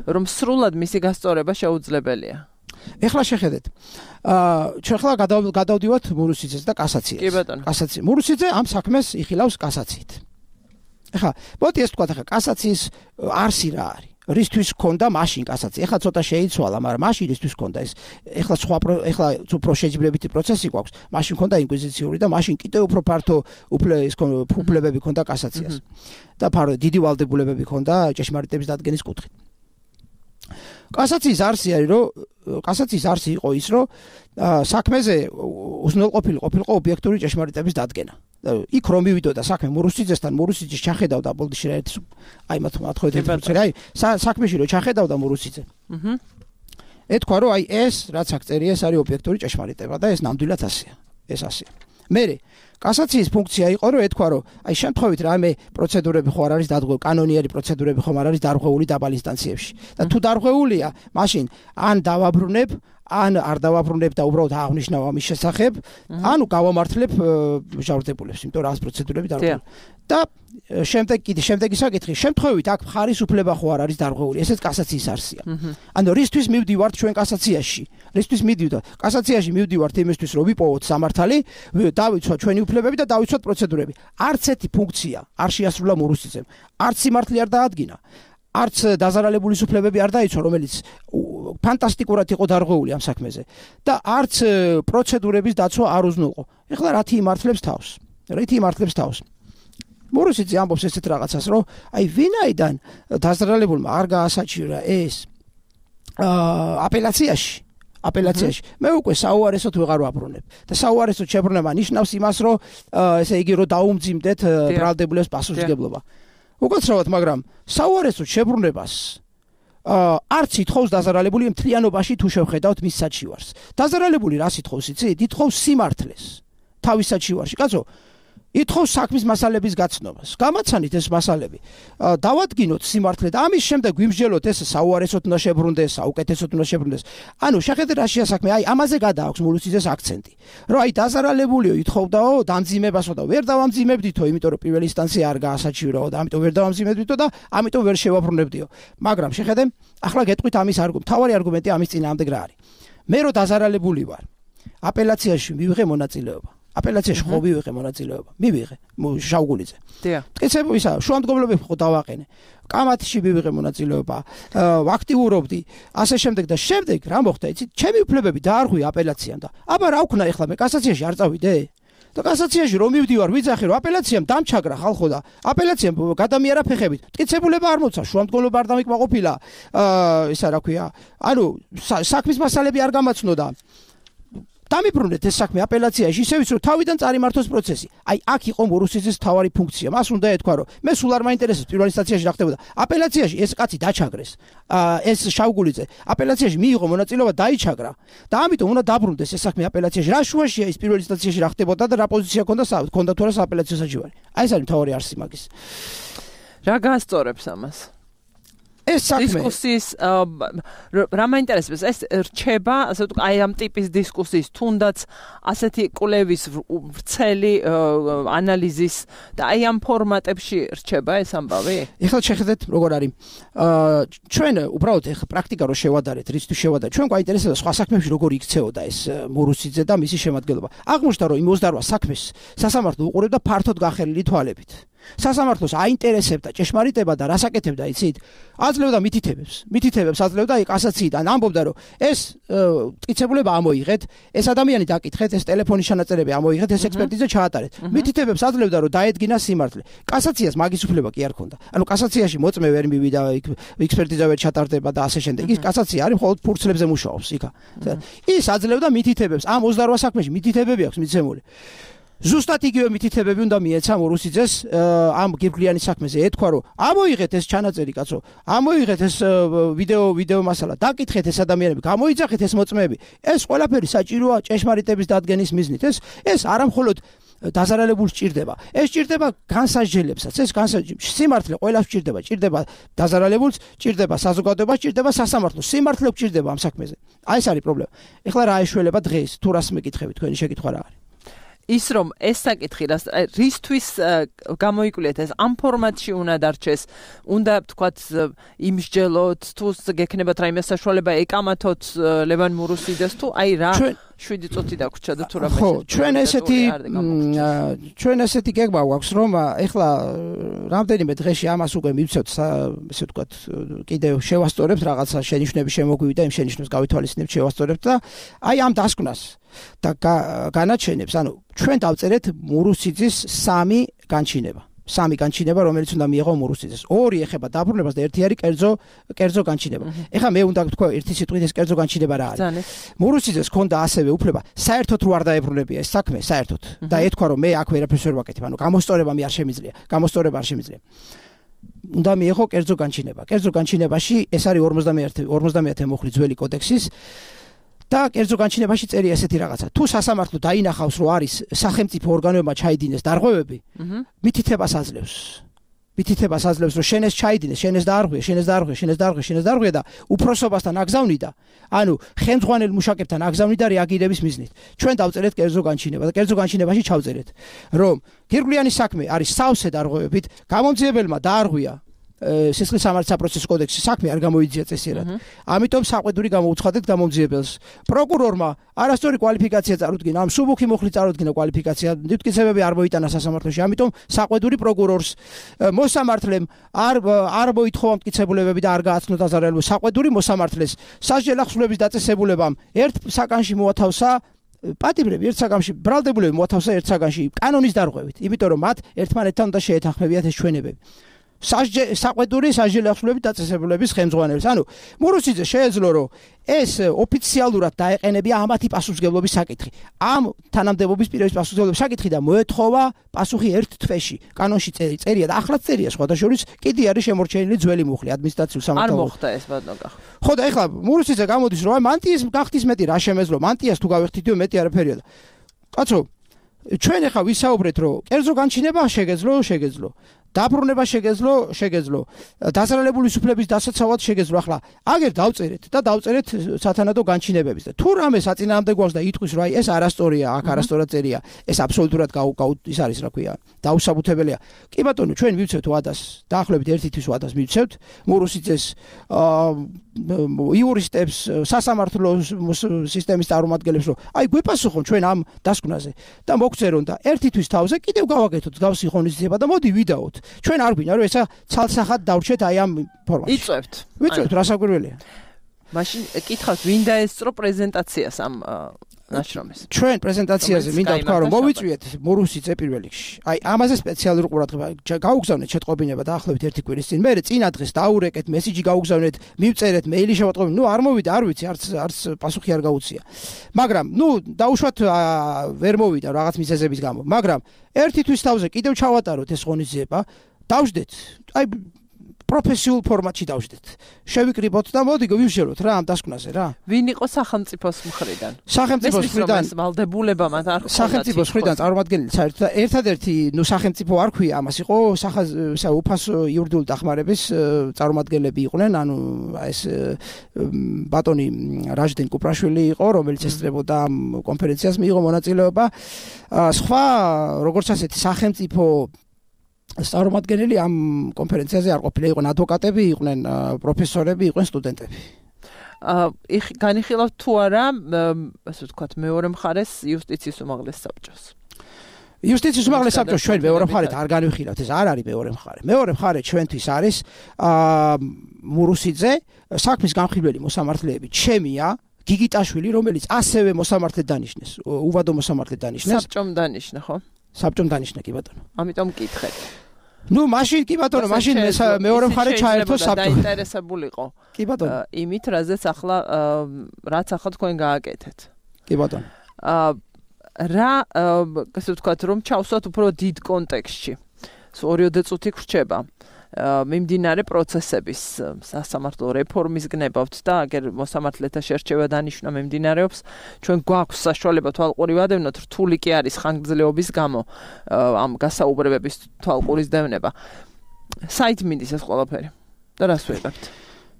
Speaker 2: რომ სრულად მისი გასწორება შეუძლებელია.
Speaker 3: ეხლა შეხედეთ. აა ჩვენ ხლა გადავდივართ მურუსიძეს და კასაციას.
Speaker 2: კი ბატონო.
Speaker 3: კასაცია. მურუსიძე ამ საქმეს იხილავს კასაციით. ეხლა, მოდი ეს თქვა, ეხლა კასაციის არსი რა არის? რისთვის ქონდა მაშინ კასაცია? ეხლა ცოტა შეიცვალა, მაგრამ მაშინ რისთვის ქონდა ეს? ეხლა სხვა ეხლა უფრო შეჯიბრებითი პროცესი გვაქვს. მაშინ ქონდა ინკვიზიციური და მაშინ კიდევ უფრო ფართო უფლებები ქონდა კასაციას. და ფარო დიდი ვალდებულებები ქონდა ჭეშმარიტების დადგენის კუთხით. კასაციის არსი არის, რომ კასაციის არსი იყო ის, რომ საქმეზე უზრუნველყოფილი ყოფილიყო ობიექტური ჭეშმარიტების დადგენა. იქ რომ მივიდოდა საქმე მურუსიძესთან, მურუსიძე ჩახედავდა ბოლდში რა ერთი აი მათ მათხოვეთ აი საქმეში რომ ჩახედავდა მურუსიძე. აჰა. ეთქვა, რომ აი ეს რაც აქ წერია, ეს არის ობიექტური ჭეშმარიტება და ეს ნამდვილად ასეა. ეს ასეა. მერე კასაციის ფუნქცია იყო, რომ ეთქვა, რომ აი შემთხვევით რამე პროცედურები ხო არ არის დარღვეული, კანონიერი პროცედურები ხომ არ არის დარღვეული დაბალ ინსტანციებში. და თუ დარღვეულია, მაშინ ან დავაბრუნებ, ან არ დავაბრუნებ და უბრალოდ აღნიშნავ ამის შესახებ, ანუ გავამართლებ ჟავრდებულებს, იმიტომ რომ რას პროცედურები დარღვეული. და შემდეგ კიდე შემდეგი საკითხი, შემთხვევით აქ მხარის უფლება ხო არ არის დარღვეული, ესეც კასაციის არსია. ანუ რისთვის მივდივართ ჩვენ კასაციაში? რისთვის მივდივართ? კასაციაში მივდივართ იმისთვის, რომ ვიპოვოთ სამართალი, დავიცვათ ჩვენი უფლებები და დავიცვათ პროცედურები. არც ერთი ფუნქცია არ შეასრულა მურუსიძემ. არც სიმართლე არ დაადგინა. არც დაზარალებულის უფლებები არ დაიცვა, რომელიც ფანტასტიკურად იყო დარღვეული ამ საქმეზე და არც პროცედურების დაცვა არ უზნუყო. ეხლა რათი იმართლებს თავს? რითი იმართლებს თავს? მურუსიძე ამბობს ესეთ რაღაცას, რომ აი ვინაიდან დაზრალებულმა არ გაასაჩივრა ეს აპელაციაში აპელაციაში მე უკვე საუარესოდ ვეღარ ვაბრუნებ და საუარესოდ შებრუნება ნიშნავს იმას, რომ ესე იგი რომ დაუმძიმდეთ ბრალდებულებს პასუხისმგებლობა. უკაცრავად, მაგრამ საუარესოდ შებრუნებას არც ითხოვს დაზარალებული მთლიანობაში თუ შევხედავთ მის საჩივარს. დაზარალებული რას ითხოვს იცით? ითხოვს სიმართლეს თავის საჩივარში. კაცო, ითხოვს საქმის მასალების გაცნობას. გამაცანით ეს მასალები. დავადგინოთ სიმართლე და ამის შემდეგ ვიმსჯელოთ ეს საუარესოდ უნდა შებრუნდეს, საუკეთესოდ უნდა შებრუნდეს. ანუ შეხედეთ რა შეასაქმე, აი ამაზე გადააქვს მურუსიძეს აქცენტი. რომ აი დაზარალებულიო ითხოვდაო დამძიმებასო და ვერ დავამძიმებდითო, იმიტომ რომ პირველი ინსტანცია არ გაასაჩივრაო და ამიტომ ვერ დავამძიმებდითო და ამიტომ ვერ შევაბრუნებდიო. მაგრამ შეხედე, ახლა გეტყვით ამის არგუმენტი, თავარი არგუმენტი ამის წინააღმდეგ რა არის. მე რო დაზარალებული ვარ, აპელაციაში მივიღე მონაწილეობა. აპელაციაში ხო მივიღე მონაწილეობა. მივიღე შავგულიძე.
Speaker 2: დიახ.
Speaker 3: მტკიცებული ისა, შუამდგომლობები ხო დავაყენე. კამათში მივიღე მონაწილეობა, აქტიურობდი, ასე შემდეგ და შემდეგ რა მოხდა, იცით? ჩემი უფლებები დაარღვია აპელაციამ და აბა რა ვქნა ეხლა მე კასაციაში არ წავიდე? და კასაციაში რომ მივდივარ, ვიძახი რომ აპელაციამ დამჩაგრა ხალხო და აპელაციამ გადამიერა ფეხებით. მტკიცებულება არ მოცა, შუამდგომლობა არ დამიკმაყოფილა. აა ისა რა ქვია? ანუ საქმის მასალები არ გამაცნოდა. დამიბრუნეთ ეს საქმე აპელაციაში, ისე ვიცი რომ თავიდან წარიმართოს პროცესი. აი აქ იყო მურუსიძის თავარი ფუნქცია. მას უნდა ეთქვა რომ მე სულ არ მაინტერესებს პირველ ინსტანციაში რა ხდებოდა. აპელაციაში ეს კაცი დაჩაგრეს. ეს შავგულიძე აპელაციაში მიიღო მონაწილეობა, დაიჩაგრა და ამიტომ უნდა დაბრუნდეს ეს საქმე აპელაციაში. რა შუაშია ის პირველ ინსტანციაში რა ხდებოდა და რა პოზიცია ჰქონდა ჰქონდა თუ არა სააპელაციო საჩივარი. აი ეს არის თავარი არსი მაგის.
Speaker 2: რა გაასწორებს ამას?
Speaker 3: ეს საქმე
Speaker 2: დისკუსიის რა მაინტერესებს, ეს რჩება, ასე ვთქვი, აი ამ ტიპის დისკუსიის, თუნდაც ასეთი კვლევის ვრცელი ანალიზის და აი ამ ფორმატებში რჩება ეს ამბავი?
Speaker 3: ეხლა შეხედეთ როგორ არის. ჩვენ უბრალოდ ეხლა პრაქტიკა რო შევადარეთ, რისთვის შევადარეთ, ჩვენ გვაინტერესებდა სხვა საქმეებში როგორ იქცეოდა ეს მურუსიძე და მისი შემადგენლობა. აღმოჩნდა რომ იმ ოცდარვა საქმეს სასამართლო უყურებდა ფართოდ გახერილი თვალებით. სასამართლოს აინტერესებდა ჭეშმარიტება და რას აკეთებდა, იცით? აძლევდა მითითებებს. მითითებებს აძლევდა აი კასაციიდან. ამბობდა რომ ეს მტკიცებულება ამოიღეთ, ეს ადამიანი დაკითხეთ, ეს ტელეფონის ჩანაწერები ამოიღეთ, ეს ექსპერტიზა ჩაატარეთ. მითითებებს აძლევდა რომ დაედგინა სიმართლე. კასაციას მაგის უფლება კი არ ჰქონდა. ანუ კასაციაში მოწმე ვერ მივიდა, ექსპერტიზა ვერ ჩატარდება და ასე შემდეგ. ის კასაცია არის მხოლოდ ფურცლებზე მუშაობს იქა. ის აძლევდა მითითებებს. ამ ოცდარვა საქმეში მითითებები აქვს მიცემული. ზუსტად იგივე მითითებები უნდა მიეცა მურუსიძეს ამ გირგვლიანი საქმეზე. ეთქვა რომ ამოიღეთ ეს ჩანაწერი, კაცო, ამოიღეთ ეს ვიდეო ვიდეო მასალა, დაკითხეთ ეს ადამიანები, გამოიძახეთ ეს მოწმეები. ეს ყველაფერი საჭიროა ჭეშმარიტების დადგენის მიზნით. ეს ეს არამხოლოდ დაზარალებულს ჭირდება. ეს ჭირდება განსაჯელებსაც. ეს განსაჯები სიმართლე ყველას ჭირდება, ჭირდება დაზარალებულს, ჭირდება საზოგადოებას, ჭირდება სასამართლოს. სიმართლე ჭირდება ამ საქმეზე. აი ეს არის პრობლემა. ეხლა რა ეშველება დღეს? თუ რას მეკითხები, თქვენი შეკითხვა რა არის?
Speaker 2: ის რომ ეს საკითხი რისთვის გამოიკვლიეთ, ეს ამ ფორმატში უნდა დარჩეს, უნდა თქვათ იმსჯელოთ, თუ გექნებათ რაიმე საშუალება ეკამათოთ ლევან მურუსიძეს, თუ აი რა შვიდი წუთი დაგვრჩა და თუ რა
Speaker 3: ხო, ჩვენ ესეთი ჩვენ ესეთი გეგმა გვაქვს, რომ ეხლა რამდენიმე დღეში ამას უკვე მივცეთ, ესე ვთქვათ, კიდევ შევასწორებთ რაღაცა შენიშვნები შემოგვივიდა, იმ შენიშვნებს გავითვალისწინებთ, შევასწორებთ და აი ამ დასკვნას და განაჩენებს, ანუ ჩვენ დავწერეთ მურუსიძის სამი განჩინება. სამი განჩინება, რომელიც უნდა მიიღო მურუსიძეს. ორი ეხება დაბრუნებას და ერთი არის კერძო კერძო განჩინება. ეხლა მე უნდა ვთქვა ერთი სიტყვით ეს კერძო განჩინება რა არის. მურუსიძეს ჰქონდა ასევე უფლება საერთოდ რო არ დაებრუნებია ეს საქმე, საერთოდ. და ეთქვა რომ მე აქ ვერაფერს ვერ ვაკეთებ, ანუ გამოსწორება მე არ შემიძლია, გამოსწორება არ შემიძლია. უნდა მიიღო კერძო განჩინება. კერძო განჩინებაში ეს არის ორმოცდამეათე მუხლი ძველი კოდექსის და კერძო განჩინებაში წერია ესეთი რაღაცა. თუ სასამართლო დაინახავს, რომ არის სახელმწიფო ორგანოებმა ჩაიდინეს დარღვევები, მითითებას აძლევს. მითითებას აძლევს, რომ შენ ეს ჩაიდინეს, შენ ეს დაარღვია, შენ ეს დაარღვია, შენ ეს დაარღვია, შენ ეს დაარღვია და უფროსობასთან აგზავნიდა. ანუ ხელმძღვანელ მუშაკებთან აგზავნიდა რეაგირების მიზნით. ჩვენ დავწერეთ კერძო განჩინება და კერძო განჩინებაში ჩავწერეთ, რომ გირგვლიანი საქმე არის სავსე დარღვევებით, გამომძიებელმა დაარღვია სისხლის სამართლის საპროცესო კოდექსის საქმე არ გამოიძია წესიერად. ამიტომ საყვედური გამოუცხადეთ გამომძიებელს. პროკურორმა არასწორი კვალიფიკაცია წარუდგინა, ამ სუბუქი მუხლი წარუდგინა კვალიფიკაცია, მტკიცებები არ მოიტანა სასამართლოში, ამიტომ საყვედური პროკურორს მოსამართლემ არ არ მოითხოვა მტკიცებულებები და არ გააცნო დაზარალებული საყვედური მოსამართლეს სასჯელ ახსნების დაწესებულებამ ერთ საკანში მოათავსა პატიმრები ერთ საგამში ბრალდებულები მოათავსა ერთ საგანში კანონის დარღვევით, იმიტომ რომ მათ ერთმანეთთან უნდა შეეთანხმებიათ ეს ჩვენებები. სასჯელი საყვედური სასჯელი ახსნების დაწესებულების ხელმძღვანელს. ანუ მურუსიძე შეეძლო რომ ეს ოფიციალურად დაეყენებია ამათი პასუხისმგებლობის საკითხი. ამ თანამდებობის პირების პასუხისმგებლობის საკითხი და მოეთხოვა პასუხი ერთ თვეში. კანონში წერია და ახლაც წერია სხვადასხვა კიდე არის შემორჩენილი ძველი მუხლი ადმინისტრაციულ სამართალში.
Speaker 2: არ მოხდა ეს ბატონო.
Speaker 3: ხო და ეხლა მურუსიძე გამოდის რომ მანტიის გახდის მეტი რა შემეძლო მანტიას თუ გავეხტიდიო მეტი არაფერია და კაცო ჩვენ ეხლა ვისაუბრეთ რომ კერძო განჩინება შეგეძლო შეგეძლო დაბრუნება შეგეძლო შეგეძლო დასალალებული სუფლების დასაცავად შეგეძლო ახლა აგერ დავწერეთ და დავწერეთ სათანადო განჩინებების და თუ რამე საწინააღმდეგო გვაქვს და იტყვის რომ აი ეს არასტორია აქ არასტორად წერია ეს აბსოლუტურად ის არის რა ქვია დაუსაბუთებელია კი ბატონო ჩვენ მივცევთ ვადას დაახლოებით ერთი თვის ვადას მივცევთ მურუსიძეს იურისტებს სასამართლო სისტემის წარმომადგენლებს რომ აი გვეპასუხონ ჩვენ ამ დასკვნაზე და მოგწერონ და ერთი თვის თავზე კიდევ გავაკეთოთ გავსი ღონისძიება და მოდი ვიდაოთ ჩვენ არ გვინდა რომ ესა ცალსახად დავრჩეთ აი ამ ფორმატში.
Speaker 2: იწვევთ.
Speaker 3: ვიწვევთ რა საკვირველია.
Speaker 2: მაშინ კითხავთ ვინ დაესწრო პრეზენტაციას ამ ნაშრომის.
Speaker 3: ჩვენ პრეზენტაციაზე მინდა ვთქვა რომ მოვიწვიეთ მურუსიძე პირველ რიგში. აი ამაზე სპეციალური ყურადღება გაუგზავნეთ შეტყობინება დაახლოებით ერთი კვირის წინ. მე წინა დღეს დაურეკეთ, მესიჯი გაუგზავნეთ, მივწერეთ, მეილი შევატყობინე. ნუ არ მოვიდა, არ ვიცი, არც არც პასუხი არ გაუწია. მაგრამ ნუ დაუშვათ ვერ მოვიდა რაღაც მიზეზების გამო. მაგრამ ერთი თვის თავზე კიდევ ჩავატაროთ ეს ღონისძიება. დავждეთ. აი პროფესიულ ფორმატში დავждეთ. შევიკრიბოთ და მოდი ვივშეროთ რა ამ დასკვნაზე რა.
Speaker 2: ვინ იყო სახელმწიფოს მხრიდან?
Speaker 3: სახელმწიფოს მხრიდან
Speaker 2: ვალდებულება მათ არ ხონდა.
Speaker 3: სახელმწიფოს მხრიდან წარმომადგენელი საერთოდ ერთადერთი ნუ სახელმწიფო არ ქვია ამას იყო უფასო იურიდიული დახმარების წარმომადგენლები იყვნენ, ანუ ეს ბატონი რაჟდენ კუპრაშვილი იყო, რომელიც ესწრებოდა ამ კონფერენციას მიიღო მონაწილეობა. სხვა როგორც ასეთი სახელმწიფო წარმომადგენელი ამ კონფერენციაზე არ ყოფილა, იყვნენ ადვოკატები, იყვნენ პროფესორები, იყვნენ სტუდენტები.
Speaker 2: აა განიხილავთ თუ არა, ასე ვთქვათ, მეორე მხარეს იუსტიციის უმაღლეს საბჭოს.
Speaker 3: იუსტიციის უმაღლეს საბჭოს ჩვენ მეორე მხარეთ არ განვიხილავთ, ეს არ არის მეორე მხარე. მეორე მხარე ჩვენთვის არის აა მურუსიძე, საქმის გამხიბვლელი მოსამართლეები ჩემია, გიგიტაშვილი, რომელიც ასევე მოსამართლედ დანიშნეს, უვადო მოსამართლედ დანიშნეს.
Speaker 2: საბჭომ დანიშნა, ხო?
Speaker 3: საბჭომ დანიშნა კი ბატონო.
Speaker 2: ამიტომ მკითხეთ.
Speaker 3: ნუ მაშინ კი ბატონო, მაშინ მეორე მხარე ჩაერთო საბჭო.
Speaker 2: დაინტერესებულიყო.
Speaker 3: კი ბატონო.
Speaker 2: იმით, რაზეც ახლა რაც ახლა თქვენ გააკეთეთ.
Speaker 3: კი ბატონო.
Speaker 2: აა რა, ასე ვთქვათ, რომ ჩავსვათ უფრო დიდ კონტექსტში. ორიოდე წუთი გრჩება. მიმდინარე პროცესების სასამართლო რეფორმის გნებავთ და აგერ მოსამართლეთა შერჩევა დანიშნა მიმდინარეობს ჩვენ გვაქვს საშუალება თვალყური ვადევნოთ რთული კი არის ხანგრძლივობის გამო ამ გასაუბრებების თვალყურის დევნება საით მინდის ეს ყველაფერი და რას ვიღებთ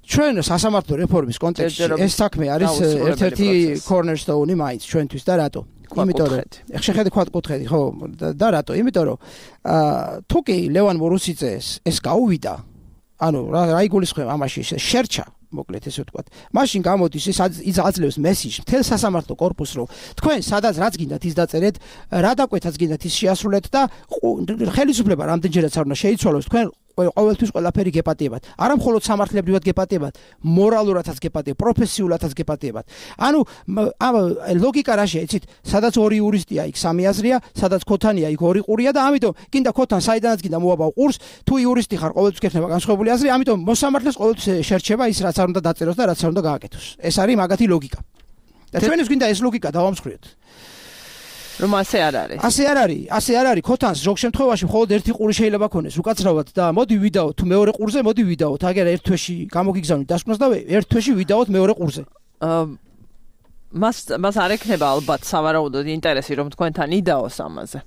Speaker 3: ჩვენ სასამართლო რეფორმის კონტექსტში ეს საქმე არის ერთ-ერთი cornerstone-ი მაინც ჩვენთვის და რატო იმიტომ რომ ეხ შეხედე ქვაკუთხედი ხო და რატო იმიტომ რომ თუ კი ლევან მურუსიძეს ეს გაუვიდა ანუ რა იგულისხმება ამაში შერჩა მოკლედ ესე ვთქვათ მაშინ გამოდის ის აძლევს მესიჯს მთელ სასამართლო კორპუსს რომ თქვენ სადაც რაც გინდათ ის დაწერეთ რა დაკვეთაც გინდათ ის შეასრულეთ და ხელისუფლება რამდენჯერაც არ უნდა შეიცვალოს თქვენ ყოველთვის ყველაფერი გეპატიებათ. არა მხოლოდ სამართლებრივად გეპატიებათ, მორალურადაც გეპატიებათ, პროფესიულადაც გეპატიებათ. ანუ ამ ლოგიკა რაშია, იცით, სადაც ორი იურისტია, იქ სამი აზრია, სადაც ქოთანია, იქ ორი ყურია და ამიტომ გინდა ქოთან საიდანაც გინდა მოაბავ ყურს, თუ იურისტი ხარ, ყოველთვის გექნება განსხვავებული აზრი, ამიტომ მოსამართლეს ყოველთვის შერჩება ის, რაც არ უნდა დაწეროს და რაც არ უნდა გააკეთოს. ეს არის მაგათი ლოგიკა. და ჩვენს გინდა ეს ლოგიკა დავამსხვრიოთ.
Speaker 2: რომ ასე არ არის.
Speaker 3: ასე არ არის, ასე არ არის. ქოთანს ზოგ შემთხვევაში მხოლოდ ერთი ყური შეიძლება ქონდეს უკაცრავად და მოდი ვიდაოთ თუ მეორე ყურზე, მოდი ვიდაოთ. აგერ ერთ თვეში გამოგიგზავნით დასკვნას და ერთ თვეში ვიდაოთ მეორე ყურზე.
Speaker 2: აა მას მას არ ექნება ალბათ სავარაუდოდ ინტერესი რომ თქვენთან იდაოს ამაზე.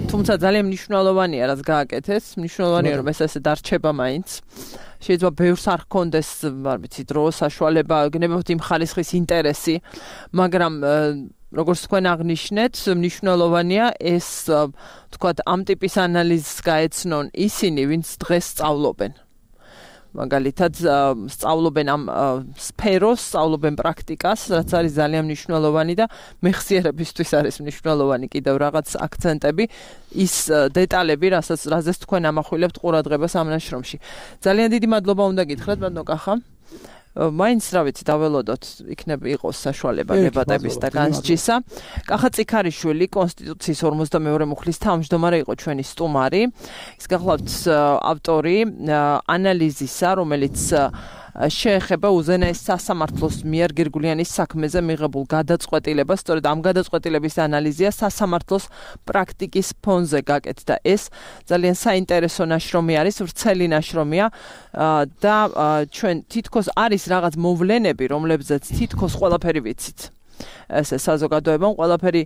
Speaker 2: თუმცა ძალიან მნიშვნელოვანია რაც გააკეთეს, მნიშვნელოვანია რომ ეს ესე დარჩება მაინც. შეიძლება ბევრს არ ჰქონდეს, არ ვიცი, დრო, საშუალება, გნებავთ იმ ხალისხის ინტერესი, მაგრამ როგორც თქვენ აღნიშნეთ, მნიშვნელოვანია ეს თქვათ ამ ტიპის ანალიზს გაეცნონ ისინი, ვინც დღეს სწავლობენ. მაგალითად, სწავლობენ ამ სფეროს, სწავლობენ პრაქტიკას, რაც არის ძალიან მნიშვნელოვანი და მეხსიერებისთვის არის მნიშვნელოვანი კიდევ რაღაც აქცენტები, ის დეტალები, რასაც რაზეც თქვენ ამახვილებთ ყურადღებას ამ ნაშრომში. ძალიან დიდი მადლობა უნდა გითხრათ, ბატონო კახა. მაინც რა ვიცი დაველოდოთ იქნება იყოს საშუალება დებატების და განსჯისა. კახა წიქარიშვილი კონსტიტუციის ორმოცდამეორე მუხლის თავმჯდომარე იყო ჩვენი სტუმარი. ის გახლავთ ავტორი ანალიზისა, რომელიც შეეხება უზენაეს სასამართლოს მიერ გირგულიანის საქმეზე მიღებულ გადაწყვეტილებას. სწორედ ამ გადაწყვეტილების ანალიზია სასამართლოს პრაქტიკის ფონზე გაკეთდა. ეს ძალიან საინტერესო ნაშრომი არის, ვრცელი ნაშრომია და ჩვენ თითქოს არის რაღაც მოვლენები, რომლებზეც თითქოს ყველაფერი ვიცით. ესე საზოგადოებამ ყველაფერი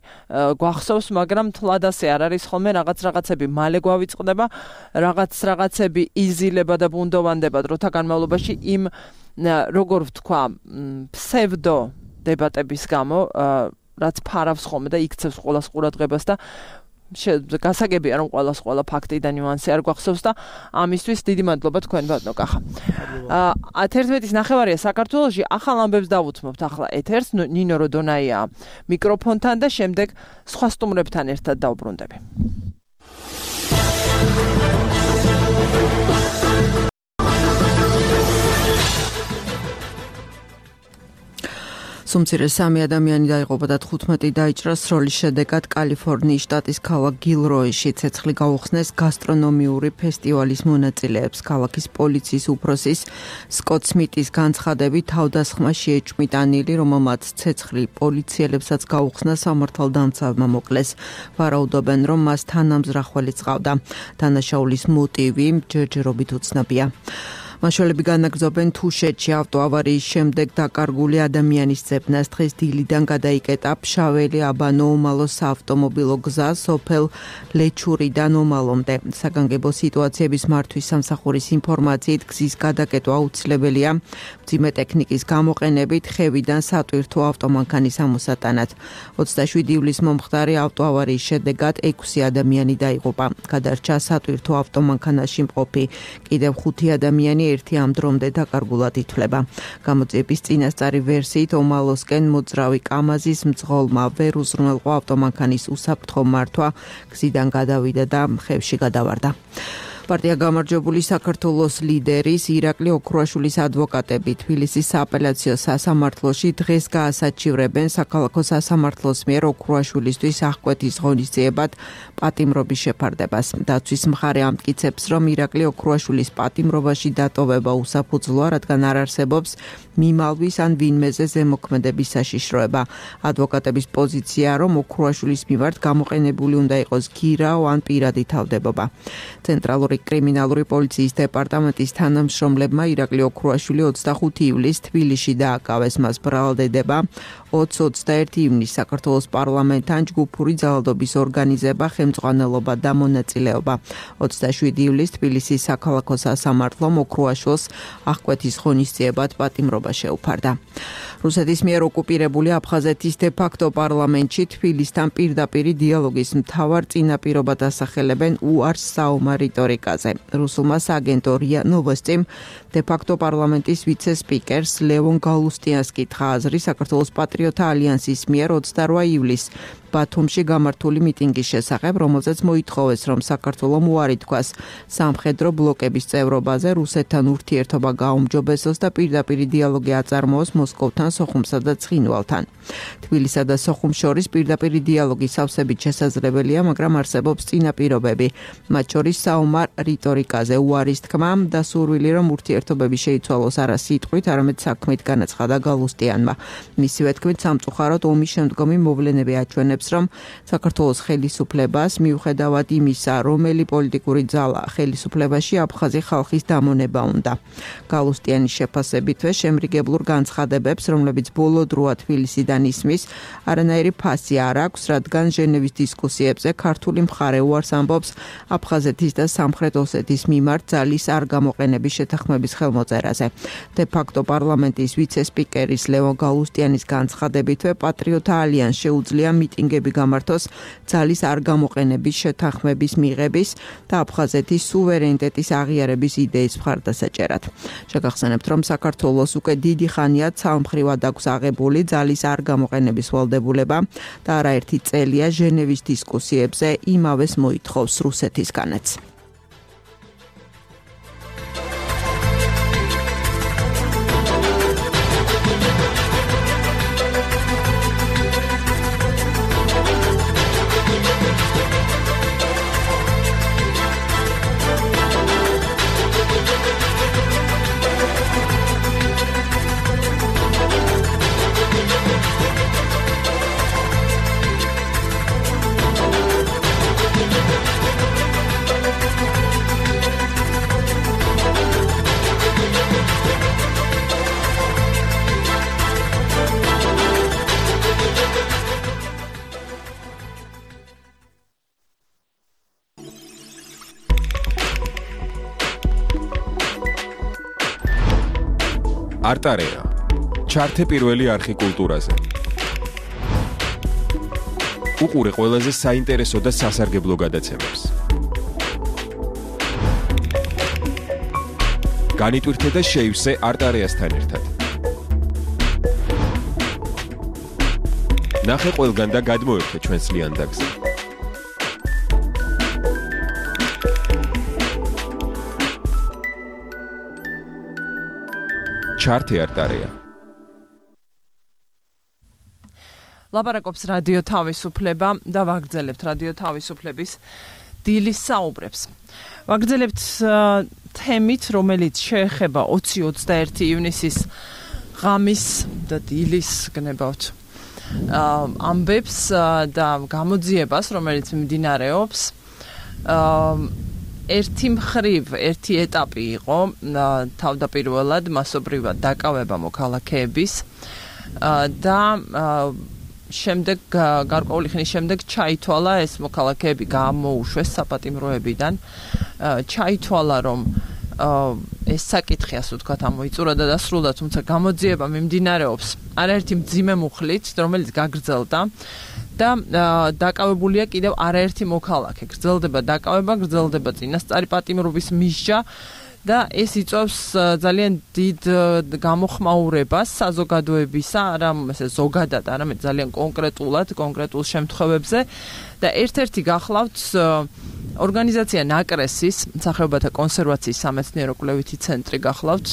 Speaker 2: გვახსოვს, მაგრამ თლად ასე არ არის ხოლმე, რაღაც რაღაცები მალე გვავიწყდება, რაღაც რაღაცები იზილება და ბუნდოვანდება დროთა განმავლობაში იმ როგორ ვთქვა, ფსევდო დებატების გამო, რაც ფარავს ხოლმე და იქცევს ყველას ყურადღებას და გასაგებია რომ ყველას ყველა ფაქტი და ნიუანსი არ გვახსოვს და ამისთვის დიდი მადლობა თქვენ ბატონო კახა. ათერთმეტის ნახევარია საქართველოში, ახალ ამბებს დავუთმობთ ახლა ეთერს, ნინო როდონაია მიკროფონთან და შემდეგ სხვა სტუმრებთან ერთად დავბრუნდები.
Speaker 4: სუმცირე სამი ადამიანი დაიღუპა და თხუთმეტი დაიჭრა სროლის შედეგად კალიფორნიის შტატის ქალაქ გილროიში ცეცხლი გაუხსნეს გასტრონომიური ფესტივალის მონაწილეებს. ქალაქის პოლიციის უფროსის სკოტ სმიტის განცხადებით თავდასხმა შეეჭვმიტანილი, რომელმაც ცეცხლი პოლიციელებსაც გაუხსნა სამართალდამცავმა მოკლეს. ვარაუდობენ, რომ მას თანამზრახველი წყავდა. დანაშაულის მოტივი ჯერჯერობით უცნობია. მაშველები განაგრძობენ თუშეთში ავტოავარიის შემდეგ დაკარგული ადამიანის ძებნას. დღეს დილიდან გადაიკეტა ფშაველი აბანო უმალო საავტომობილო გზა სოფელ ლეჩურიდან უმალომდე. საგანგებო სიტუაციების მართვის სამსახურის ინფორმაციით გზის გადაკეტვა აუცილებელია მძიმე ტექნიკის გამოყენებით ხევიდან სატვირთო ავტომანქანის ამოსატანად. ოცდაშვიდი ივლისს მომხდარი ავტოავარიის შედეგად ექვსი ადამიანი დაიღუპა. გადარჩა სატვირთო ავტომანქანაში მყოფი კიდევ ხუთი ადამიანი ერთი ამ დრომდე დაკარგულად ითვლება. გამოძიების წინასწარი ვერსიით ომალოსკენ მოძრავი კამაზის მძღოლმა ვერ უზრუნველყო ავტომანქანის უსაფრთხო მართვა, გზიდან გადავიდა და ხევში გადავარდა. პარტია გამარჯვებული საქართველოს ლიდერის ირაკლი ოქრუაშვილის ადვოკატები თბილისის სააპელაციო სასამართლოში დღეს გაასაჩივრებენ საქალაქო სასამართლოს მიერ ოქრუაშვილისთვის აღკვეთის ღონისძიებად პატიმრობის შეფარდებას. დაცვის მხარე ამტკიცებს, რომ ირაკლი ოქრუაშვილის პატიმრობაში დატოვება უსაფუძვლოა, რადგან არ არსებობს მიმალვის ან ვინმეზე ზემოქმედების საშიშროება. ადვოკატების პოზიციაა, რომ ოქრუაშვილის მიმართ გამოყენებული უნდა იყოს გირაო ან პირადი თავდებობა. ცენტრალური კრიმინალური პოლიციის დეპარტამენტის თანამშრომლებმა ირაკლი ოქრუაშვილი ოცდახუთი ივლისს თბილისში დააკავეს. მას ბრალდება ოცი ოცდაერთი ივნისს საქართველოს პარლამენტთან ჯგუფური ძალადობის ორგანიზება, ხელმძღვანელობა და მონაწილეობა. ოცდაშვიდი ივლისს თბილისის საქალაქო სასამართლომ ოქრუაშვილს აღკვეთის ღონისძიებად პატიმრობა შეუფარდა. რუსეთის მიერ ოკუპირებული აფხაზეთის დე-ფაქტო პარლამენტში თბილისთან პირდაპირი დიალოგის მთავარ წინაპირობად ასახელებენ უარს საომარ რიტორიკაზე. რუსულმა სააგენტო რია ნოვოსტიმ დე-ფაქტო პარლამენტის ვიცე-სპიკერს ლევონ გალუსტიანს კითხა აზრი საქართველოს პატრიოტთა ალიანსის მიერ ოცდარვა ივლისს ბათუმში გამართული მიტინგის შესახებ, რომელზეც მოითხოვეს, რომ საქართველომ უარი თქვას სამხედრო ბლოკების წევრობაზე, რუსეთთან ურთიერთობა გაუმჯობესოს და პირდაპირი დიალოგი აწარმოოს მოსკოვთან, სოხუმსა და ცხინვალთან. თბილისსა და სოხუმს შორის პირდაპირი დიალოგი სავსებით შესაძლებელია, მაგრამ არსებობს წინაპირობები, მათ შორის საომარ რიტორიკაზე უარის თქმა და სურვილი, რომ ურთიერთობები შეიცვალოს არა სიტყვით, არამედ საქმით, განაცხადა გალუსტიანმა. მისივე თქმით, სამწუხაროდ ომის შემდგომი მოვლენები აჩვენებს, ამბობს, რომ საქართველოს ხელისუფლებას მიუხედავად იმისა, რომელი პოლიტიკური ძალა ხელისუფლებაში აფხაზი ხალხის დამონება უნდა. გალუსტიანის შეფასებითვე შემრიგებლურ განცხადებებს, რომლებიც ბოლო დროა თბილისიდან ისმის, არანაირი ფასი არ აქვს, რადგან ჟენევის დისკუსიებზე ქართული მხარე უარს ამბობს აფხაზეთის და სამხრეთ ოსეთის მიმართ ძალის არ გამოყენების შეთანხმების ხელმოწერაზე. De facto პარლამენტის ვიცე-სპიკერის ლევონ გალუსტიანის განცხადებითვე პატრიოტთა ალიანსს შეუძლია მიტინგები გამართოს ძალის არ გამოყენების შეთანხმების მიღების და აფხაზეთის სუვერენიტეტის აღიარების იდეის მხარდასაჭერად. შეგახსენებთ, რომ საქართველოს უკვე დიდი ხანია ცალმხრივად აქვს აღებული ძალის არ გამოყენების ვალდებულება და არაერთი წელია ჟენევის დისკუსიებზე იმავეს მოითხოვს რუსეთისგანაც.
Speaker 5: არტარეა. ჩართე პირველი არხი კულტურაზე. უყურე ყველაზე საინტერესო და სასარგებლო გადაცემებს. განიტვირთე და შეივსე არტარეასთან ერთად. ნახე ყველგან და გადმოერთე ჩვენს ლიანდაგზე. ჩართე არტარეა.
Speaker 2: ლაპარაკობს რადიო თავისუფლება და ვაგრძელებთ რადიო თავისუფლების დილის საუბრებს. ვაგრძელებთ თემით, რომელიც შეეხება ოცი ოცდაერთი ივნისის ღამის და დილის გნებავთ ამბებს და გამოძიებას, რომელიც მიმდინარეობს. ერთი მხრივ, ერთი ეტაპი იყო თავდაპირველად მასობრივად დაკავება მოქალაქეების და შემდეგ გარკვეული ხნის შემდეგ ჩაითვალა ეს მოქალაქეები გამოუშვეს საპატიმროებიდან. ჩაითვალა რომ ეს საკითხი ასე ვთქვათ ამოიწურა და დასრულდა, თუმცა გამოძიება მიმდინარეობს არაერთი მძიმე მუხლით, რომელიც გაგრძელდა და დაკავებულია კიდევ არაერთი მოქალაქე. გრძელდება დაკავება, გრძელდება წინასწარი პატიმრობის მისჯა და ეს იწვევს ძალიან დიდ გამოხმაურებას საზოგადოებისა, არა ესე ზოგადად, არამედ ძალიან კონკრეტულად, კონკრეტულ შემთხვევებზე და ერთ-ერთი გახლავთ ორგანიზაცია ნაკრესის, მსახიობათა კონსერვაციის სამეცნიერო კვლევითი ცენტრი გახლავთ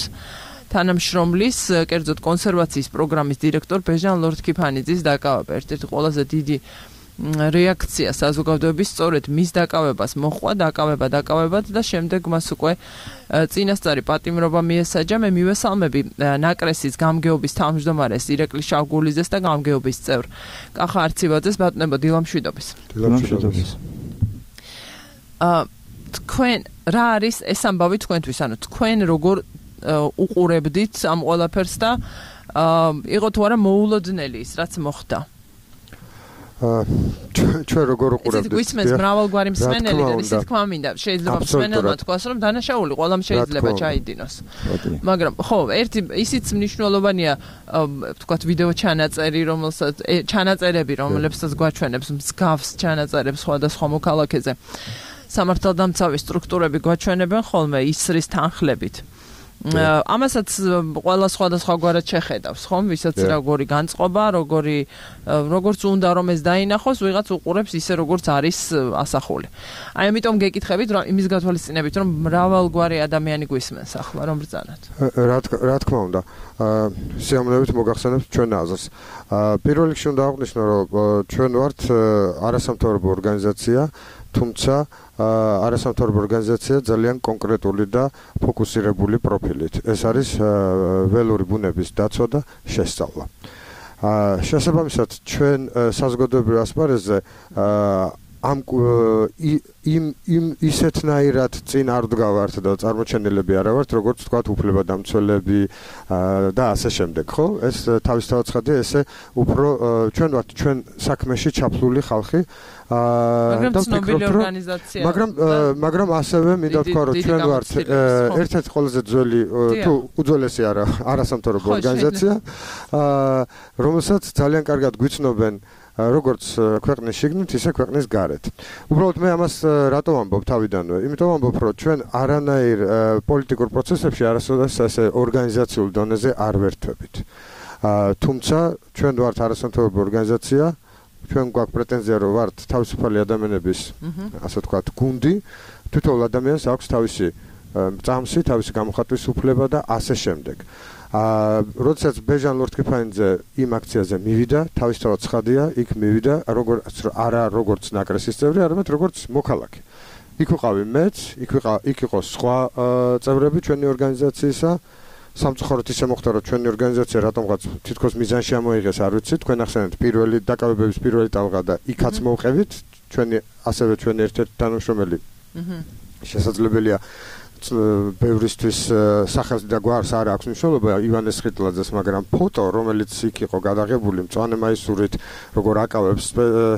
Speaker 2: თანამშრომლის, კერძოდ კონსერვაციის პროგრამის დირექტორ ბეჟან ლორდ-ქიფანიძის დაკავება. ერთ-ერთი ყველაზე დიდი რეაქცია საზოგადოების სწორედ მის დაკავებას მოჰყვა, დაკავება დაკავებად და შემდეგ მას უკვე წინასწარი პატიმრობა მიესაჯა. მე მივესალმები ნაკრესის გამგეობის თავმჯდომარეს ირაკლი შავგულიძეს და გამგეობის წევრ კახა არციბაძეს. ბატონებო, დილამშვიდობის.
Speaker 3: დილამშვიდობის.
Speaker 2: აა თქვენ რა არის ეს ამბავი თქვენთვის? ანუ თქვენ როგორ უყურებდით ამ ყველაფერს და იყო თუ არა მოულოდნელი ის რაც მოხდა?
Speaker 6: ჩვენ როგორ უყურებთ?
Speaker 2: ეს გვისმენს მრავალგვარი მსმენელი და ისე თქვა მინდა, შეიძლება მსმენელმა თქვას, რომ დანაშაული ყველამ შეიძლება ჩაიდინოს. მაგრამ ხო, ერთი ისიც მნიშვნელოვანია, ვთქვათ, ვიდეო ჩანაწერი, რომელსაც ჩანაწერები, რომლებსაც გვაჩვენებს მსგავს ჩანაწერებს სხვადასხვა მოქალაქეზე. სამართალდამცავი სტრუქტურები გვაჩვენებენ ხოლმე ისრის თანხლებით. ამასაც ყველა სხვადასხვაგვარად შეხედავს, ხომ? ვისაც როგორი განწყობა, როგორი როგორც უნდა რომ ეს დაინახოს, ვიღაც უყურებს ისე როგორც არის ასახული. აი ამიტომ გეკითხებით, რომ იმის გათვალისწინებით, რომ მრავალგვარი ადამიანი გვისმენს ახლა, რომ ბრძანოთ.
Speaker 6: რა თქმა უნდა, სიამოვნებით მოგახსენებთ ჩვენ აზრს. პირველ რიგში უნდა აღვნიშნო, რომ ჩვენ ვართ არასამთავრობო ორგანიზაცია, თუმცა არასამთავრობო ორგანიზაცია ძალიან კონკრეტული და ფოკუსირებული პროფილით. ეს არის ველური ბუნების დაცვა და შესწავლა. აა შესაბამისად ჩვენ საზოგადოებრივ ასპარეზზე აა ამ იმ იმ ისეთნაირად წინ არ ვდგავართ და წარმოჩენილები არა ვართ, როგორც თქვათ, უფლებადამცველები და ასე შემდეგ, ხო? ეს თავისთავად ცხადია, ესე უფრო ჩვენ ვართ ჩვენ საქმეში ჩაფლული ხალხი.
Speaker 2: მაგრამ ცნობილი ორგანიზაცია.
Speaker 6: მაგრამ მაგრამ ასევე მინდა ვთქვა, რომ ჩვენ ვართ ერთ-ერთი ყველაზე ძველი თუ უძველესი არა, არასამთავრობო ორგანიზაცია, რომელსაც ძალიან კარგად გვიცნობენ როგორც ქვეყნის შიგნით, ისე ქვეყნის გარეთ. უბრალოდ მე ამას რატო ვამბობ თავიდანვე? იმიტომ ვამბობ, რომ ჩვენ არანაირ პოლიტიკურ პროცესებში არასოდეს ასე ორგანიზაციულ დონეზე არ ვერთვებით. თუმცა ჩვენ ვართ არასამთავრობო ორგანიზაცია, ჩვენ გვაქვს პრეტენზია, რომ ვართ თავისუფალი ადამიანების, ასე ვთქვათ, გუნდი, თითოეულ ადამიანს აქვს თავისი წამსი, თავისი გამოხატვის უფლება და ასე შემდეგ. აა როდესაც ბეჟან ლორთქიფანიძე იმ აქციაზე მივიდა, თავისთავად ცხადია, იქ მივიდა როგორც არა როგორც ნაკრესის წევრი, არამედ როგორც მოქალაქე. იქ ვიყავი მეც, იქ ვიყავ, იქ იყო სხვა წევრები ჩვენი ორგანიზაციისა. სამწუხაროდ ისე მოხდა, რომ ჩვენი ორგანიზაცია რატომღაც თითქოს მიზანში ამოიღეს, არ ვიცი, თქვენ ახსენეთ პირველი დაკავებების პირველი ტალღა და იქაც მოვყევით, ჩვენი ასევე ჩვენი ერთ-ერთი თანამშრომელი. აჰა. შესაძლებელია ბევრისთვის სახელს და გვარს არ აქვს მნიშვნელობა ივანე სხიტლაძეს, მაგრამ ფოტო, რომელიც იქ იყო გადაღებული მწვანე მაისურით, როგორ აკავებს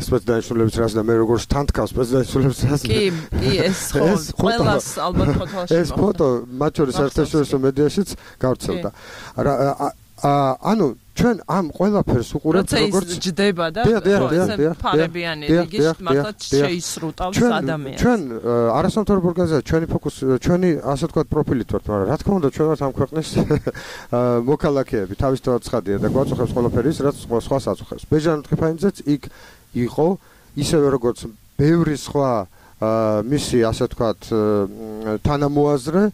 Speaker 6: სპეცდანიშნულების რას და მე როგორ თანთქავს სპეცდანიშნულების რას.
Speaker 2: კი, კი, ეს ხო ყველას ალბათ ფოტოში.
Speaker 6: ეს ფოტო მათ შორის საერთაშორისო მედიაშიც გავრცელდა. ანუ ჩვენ ამ ყველაფერს უყურებთ როგორც
Speaker 2: ჯდება და ფარებიანი რიგით მართლაც შეისრუტავს ადამიანს.
Speaker 6: ჩვენ არასამთავრობო ორგანიზაცია, ჩვენი ფოკუსი, ჩვენი ასე ვთქვათ პროფილით ვართ, მაგრამ რა თქმა უნდა ჩვენ ვართ ამ ქვეყნის მოქალაქეები, თავისთავად ცხადია და გვაწუხებს ყველაფერი ის, რაც სხვას აწუხებს. ბეჟან ლორთქიფანიძეც იქ იყო, ისევე როგორც ბევრი სხვა მისი ასე ვთქვათ თანამოაზრე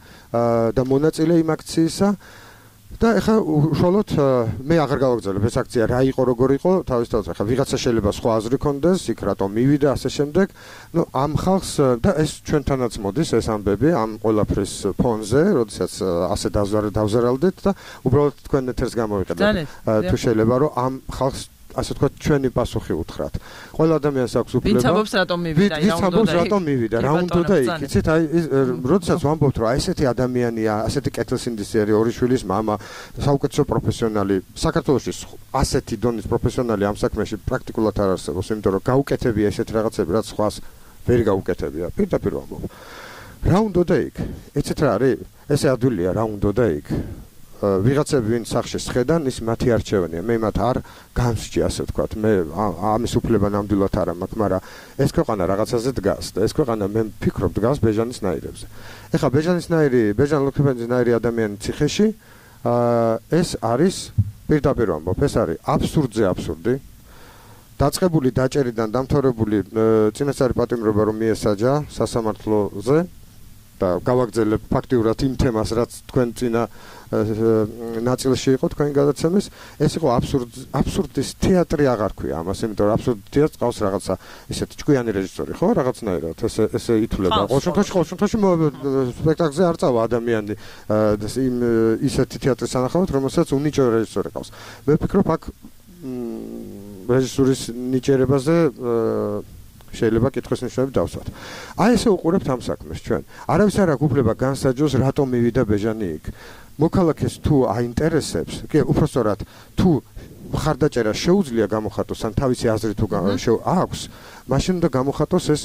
Speaker 6: და მონაწილე იმ აქციისა. და ეხლა უშუალოდ მე აღარ გავაგრძელებ ეს აქცია რა იყო როგორ იყო თავისთავად ეხლა ვიღაცა შეიძლება სხვა აზრი ქონდეს იქ რატომ მივიდა ასე შემდეგ ნუ ამ ხალხს და ეს ჩვენთანაც მოდის ეს ამბები ამ ყველაფრის ფონზე როდესაც ასე დავზარალდით და უბრალოდ თქვენ ეთერს გამოვიყენებთ თუ შეიძლება რომ ამ ხალხს ასე ვთქვათ ჩვენი პასუხი უთხრათ. ყველა ადამიანს აქვს უფლება.
Speaker 2: ვინც ამბობს რატომ მივიდა,
Speaker 6: რა უნდა და რატომ მივიდა, რა უნდა და იქ. იცით, აი როდესაც ვამბობთ, რომ აი ესეთი ადამიანია, ასეთი კეთილსინდისიერი ორი შვილის мама, საუკეთესო პროფესიონალი, საქართველოში ასეთი დონის პროფესიონალი ამ საქმეში პრაქტიკულად არ არსებობს, იმიტომ რომ გაუკეთებია ესეთი რაღაცები, რაც სხვას ვერ გაუკეთებია. პირდაპირ ვამბობ. რა უნდა და იქ? იცით რა არის? ესე ადვილია რა უნდა და იქ. ვიღაცები ვინ სახში შეხედან ის მათი არჩევანია მე მათ არ გამსჭი ასე ვთქვათ მე ამის უფლება ნამდვილად არ მაქვს მაგრამ ეს ქვეყანა რაღაცაზე დგას და ეს ქვეყანა მე ვფიქრობ დგას ბეჟანის ნაირებზე ეხლა ბეჟანის ნაირი ბეჟან ლორთქიფანიძის ნაირი ადამიანი ციხეში ეს არის პირდაპირ ვამბობ ეს არის აბსურდზე აბსურდი დაწყებული დაჭერიდან დამთავრებული წინასწარი პატიმრობა რომ მიესაჯა სასამართლოზე და გავაგრძელებ ფაქტიურად იმ თემას რაც თქვენ წინა ნაწილში იყო თქვენი გადაცემის ეს იყო აბსურდ აბსურდის თეატრი აღარ ქვია ამას იმიტომ რომ აბსურდ თეატრს ყავს რაღაცა ისეთი ჭკვიანი რეჟისორი ხო რაღაცნაირად ესე ესე ითვლება ყოველ შემთხვევაში ყოველ შემთხვევაში სპექტაკლზე არ წავა ადამიანი იმ ისეთი თეატრის სანახავად რომელსაც უნიჭო რეჟისორი ყავს მე ვფიქრობ აქ რეჟისურის ნიჭერებაზე შეიძლება კითხვის ნიშნები დავსვათ. აი ესე უყურებთ ამ საქმეს ჩვენ. არავის არ აქვს უფლება განსაჯოს რატომ მივიდა ბეჟანი იქ. მოქალაქეს თუ აინტერესებს, კი, უпростоრად თუ მხარდაჭერა შეუძლია გამოხატოს ან თავისი აზრი თუ აქვს, მაშინ უნდა გამოხატოს ეს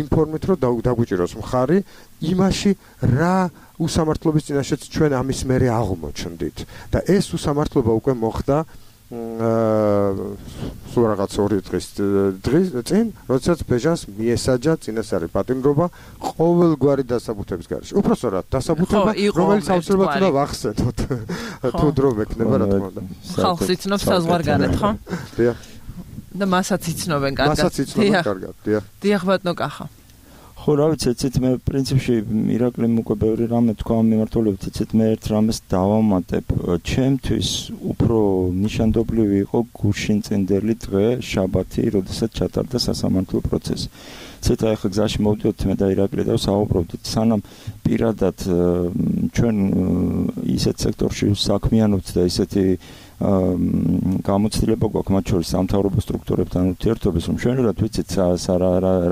Speaker 6: ინფორმით რომ დაგვიჭიროს მხარი იმაში რა უსამართლობის წინაშეც ჩვენ ამის მერე აღმოჩნდით და ეს უსამართლობა უკვე მოხდა სულ რაღაც ორი დღის დღის წინ, როდესაც ბეჟანს მიესაჯა წინასწარი პატიმრობა ყოველგვარი დასაბუთების გარეშე. უпростоრად დასაბუთება, რომელიც აუცილებლად უნდა ვახსენოთ. თუ დრო მექნება, რა თქმა უნდა.
Speaker 2: ხალხს იცნობს საზღვარგარეთ, ხო?
Speaker 6: დიახ.
Speaker 2: და მასაც იცნობენ კარგად.
Speaker 6: მასაც იცნობენ კარგად, დიახ.
Speaker 2: დიახ, ბატონო კახა.
Speaker 7: ხო, რა ვიცი, ეცეთ მე პრინციპში ირაკლიმ უკვე ბევრი რამე თქვა ამ მიმართულებით, ეცეთ მე ერთ რამეს დავამატებ. ჩემთვის უფრო ნიშანდობლივი იყო გუშინწინდელი დღე, შაბათი, როდესაც ჩატარდა სასამართლო პროცესი. ცეთა ახლა გზაში მოვდიოთ მე და ირაკლი და საუბრობდით სანამ პირადად ჩვენ ისეთ სექტორში საქმიანობთ და ისეთი გამოცდილება გვაქვს მათ შორის სამთავრობო სტრუქტურებთან ურთიერთობის რომ ჩვენურად ვიცით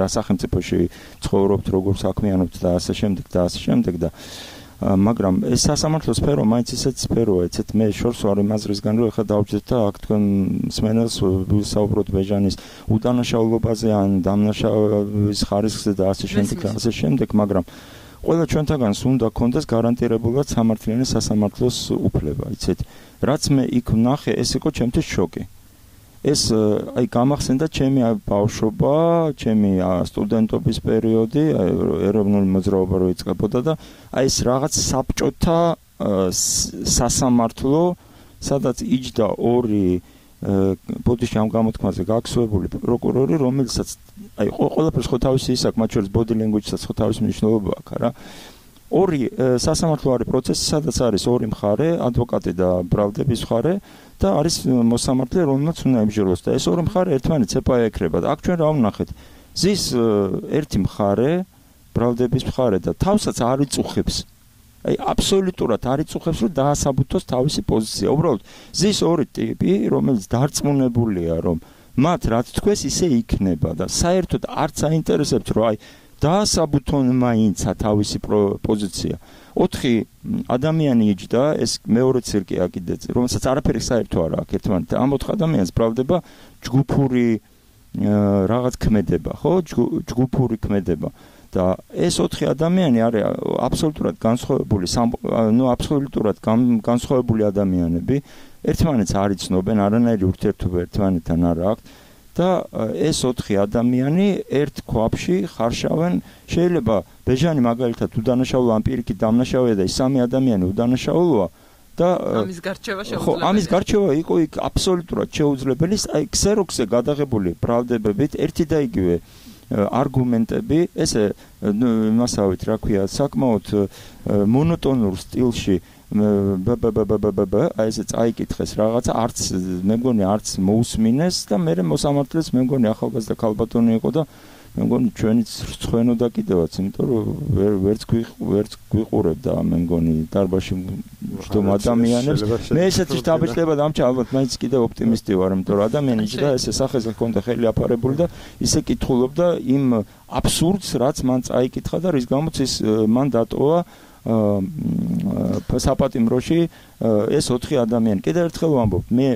Speaker 7: რა სახელმწიფოში ცხოვრობთ როგორ საქმიანობთ და ასე შემდეგ და ასე შემდეგ და მაგრამ ეს სასამართლო სფერო მაინც ისეთ სფეროა ეცეთ მე შორს ვარ იმ აზრისგან რომ ეხლა დავჯდეთ და აქ თქვენ მსმენელს ვისაუბროთ ბეჟანის უდანაშაულობაზე ან დამნაშავის ხარისხზე და ასე შემდეგ და ასე შემდეგ მაგრამ ყველა ჩვენთაგანს უნდა კონდეს გარანტირებულად სამართლიანი სასამართლოს უფლება იცით რაც მე იქ ვნახე ეს იყო ჩემთვის შოკი ეს აი გამახსენდა ჩემი ბავშვობა, ჩემი სტუდენტობის პერიოდი, ეროვნული მოძრაობა რო იწყებოდა და აი ეს რაღაც საბჭოთა სასამართლო, სადაც იჯდა ორი ბოდიში ამ გამოთქმაზე გაქცევებული პროკურორი, რომელსაც აი ყველაფერს ხო თავისი ის აქვს, მათ შორის body language-საც ხო თავისი მნიშვნელობა აქვს, რა. ორი სასამართლოარი პროცესი, სადაც არის ორი მხარე, ადვოკატი და ბრალდების მხარე და არის მოსამართლე, რომელმაც უნდა ემსჯელოს და ეს ორი მხარე ერთმანეთს ეპაექრება. აქ ჩვენ რა ვნახეთ? ზის ერთი მხარე, ბრალდების მხარე და თავსაც არ იწუხებს. აი აბსოლუტურად არ იწუხებს, რომ დაასაბუთოს თავისი პოზიცია. უბრალოდ ზის ორი ტიპი, რომელიც დარწმუნებულია, რომ მათ რაც თქვეს ისე იქნება და საერთოდ არც აინტერესებს, რომ აი დაასაბუთონ მაინცა თავისი პოზიცია. ოთხი ადამიანი იჯდა, ეს მეორე ცირკია კიდეც, რომელსაც არაფერი საერთო არ აქვს ერთმანეთთან. ამ ოთხ ადამიანს ბრალდება ჯგუფური რაღაც ქმედება, ხო? ჯგუფური ქმედება. და ეს ოთხი ადამიანი არის აბსოლუტურად განსხვავებული, ნუ აბსოლუტურად განსხვავებული ადამიანები, ერთმანეთს არ იცნობენ, არანაირი ურთიერთობა ერთმანეთთან არ აქვს. და ეს ოთხი ადამიანი ერთ ქვაბში ხარშავენ, შეიძლება ბეჟანი მაგალითად უდანაშაულო ან პირიქით დამნაშავეა და ეს სამი ადამიანი უდანაშაულოა და
Speaker 2: ამის გარჩევა შეუძლებელი.
Speaker 7: ხო, ამის გარჩევა იყო იქ აბსოლუტურად შეუძლებელი, აი ქსეროქსზე გადაღებული ბრალდებებით ერთი და იგივე არგუმენტები, ესე მასავით რა ქვია, საკმაოდ მონოტონურ სტილში ბ-ბ-ბ-ბ-ბ-ბ აი ესე წაიკითხეს რაღაცა, არც მე მგონი არც მოусმინეს და მე მოსამართლეს მე მგონი ახალგაზრდა ქალბატონი იყო და მე მგონი ჩვენიც რცხვენოდა კიდევაც, იმიტომ რომ ვერც ვერც გვიყურებდა მე მგონი დარბაში მჯდომ ადამიანებს. მე ესეთი შთაბეჭდება და ამჩა ალბათ მაინც კიდევ ოპტიმისტი ვარ, იმიტომ რომ ადამიანი და ესე სახეზე ჰქონდა ხელი აფარებული და ისე კითხულობდა იმ აბსურდს, რაც მან წაიკითხა და რის გამოც ის მან დატოვა საპატიმროში ეს ოთხი ადამიანი. კიდევ ერთხელ ვამბობ, მე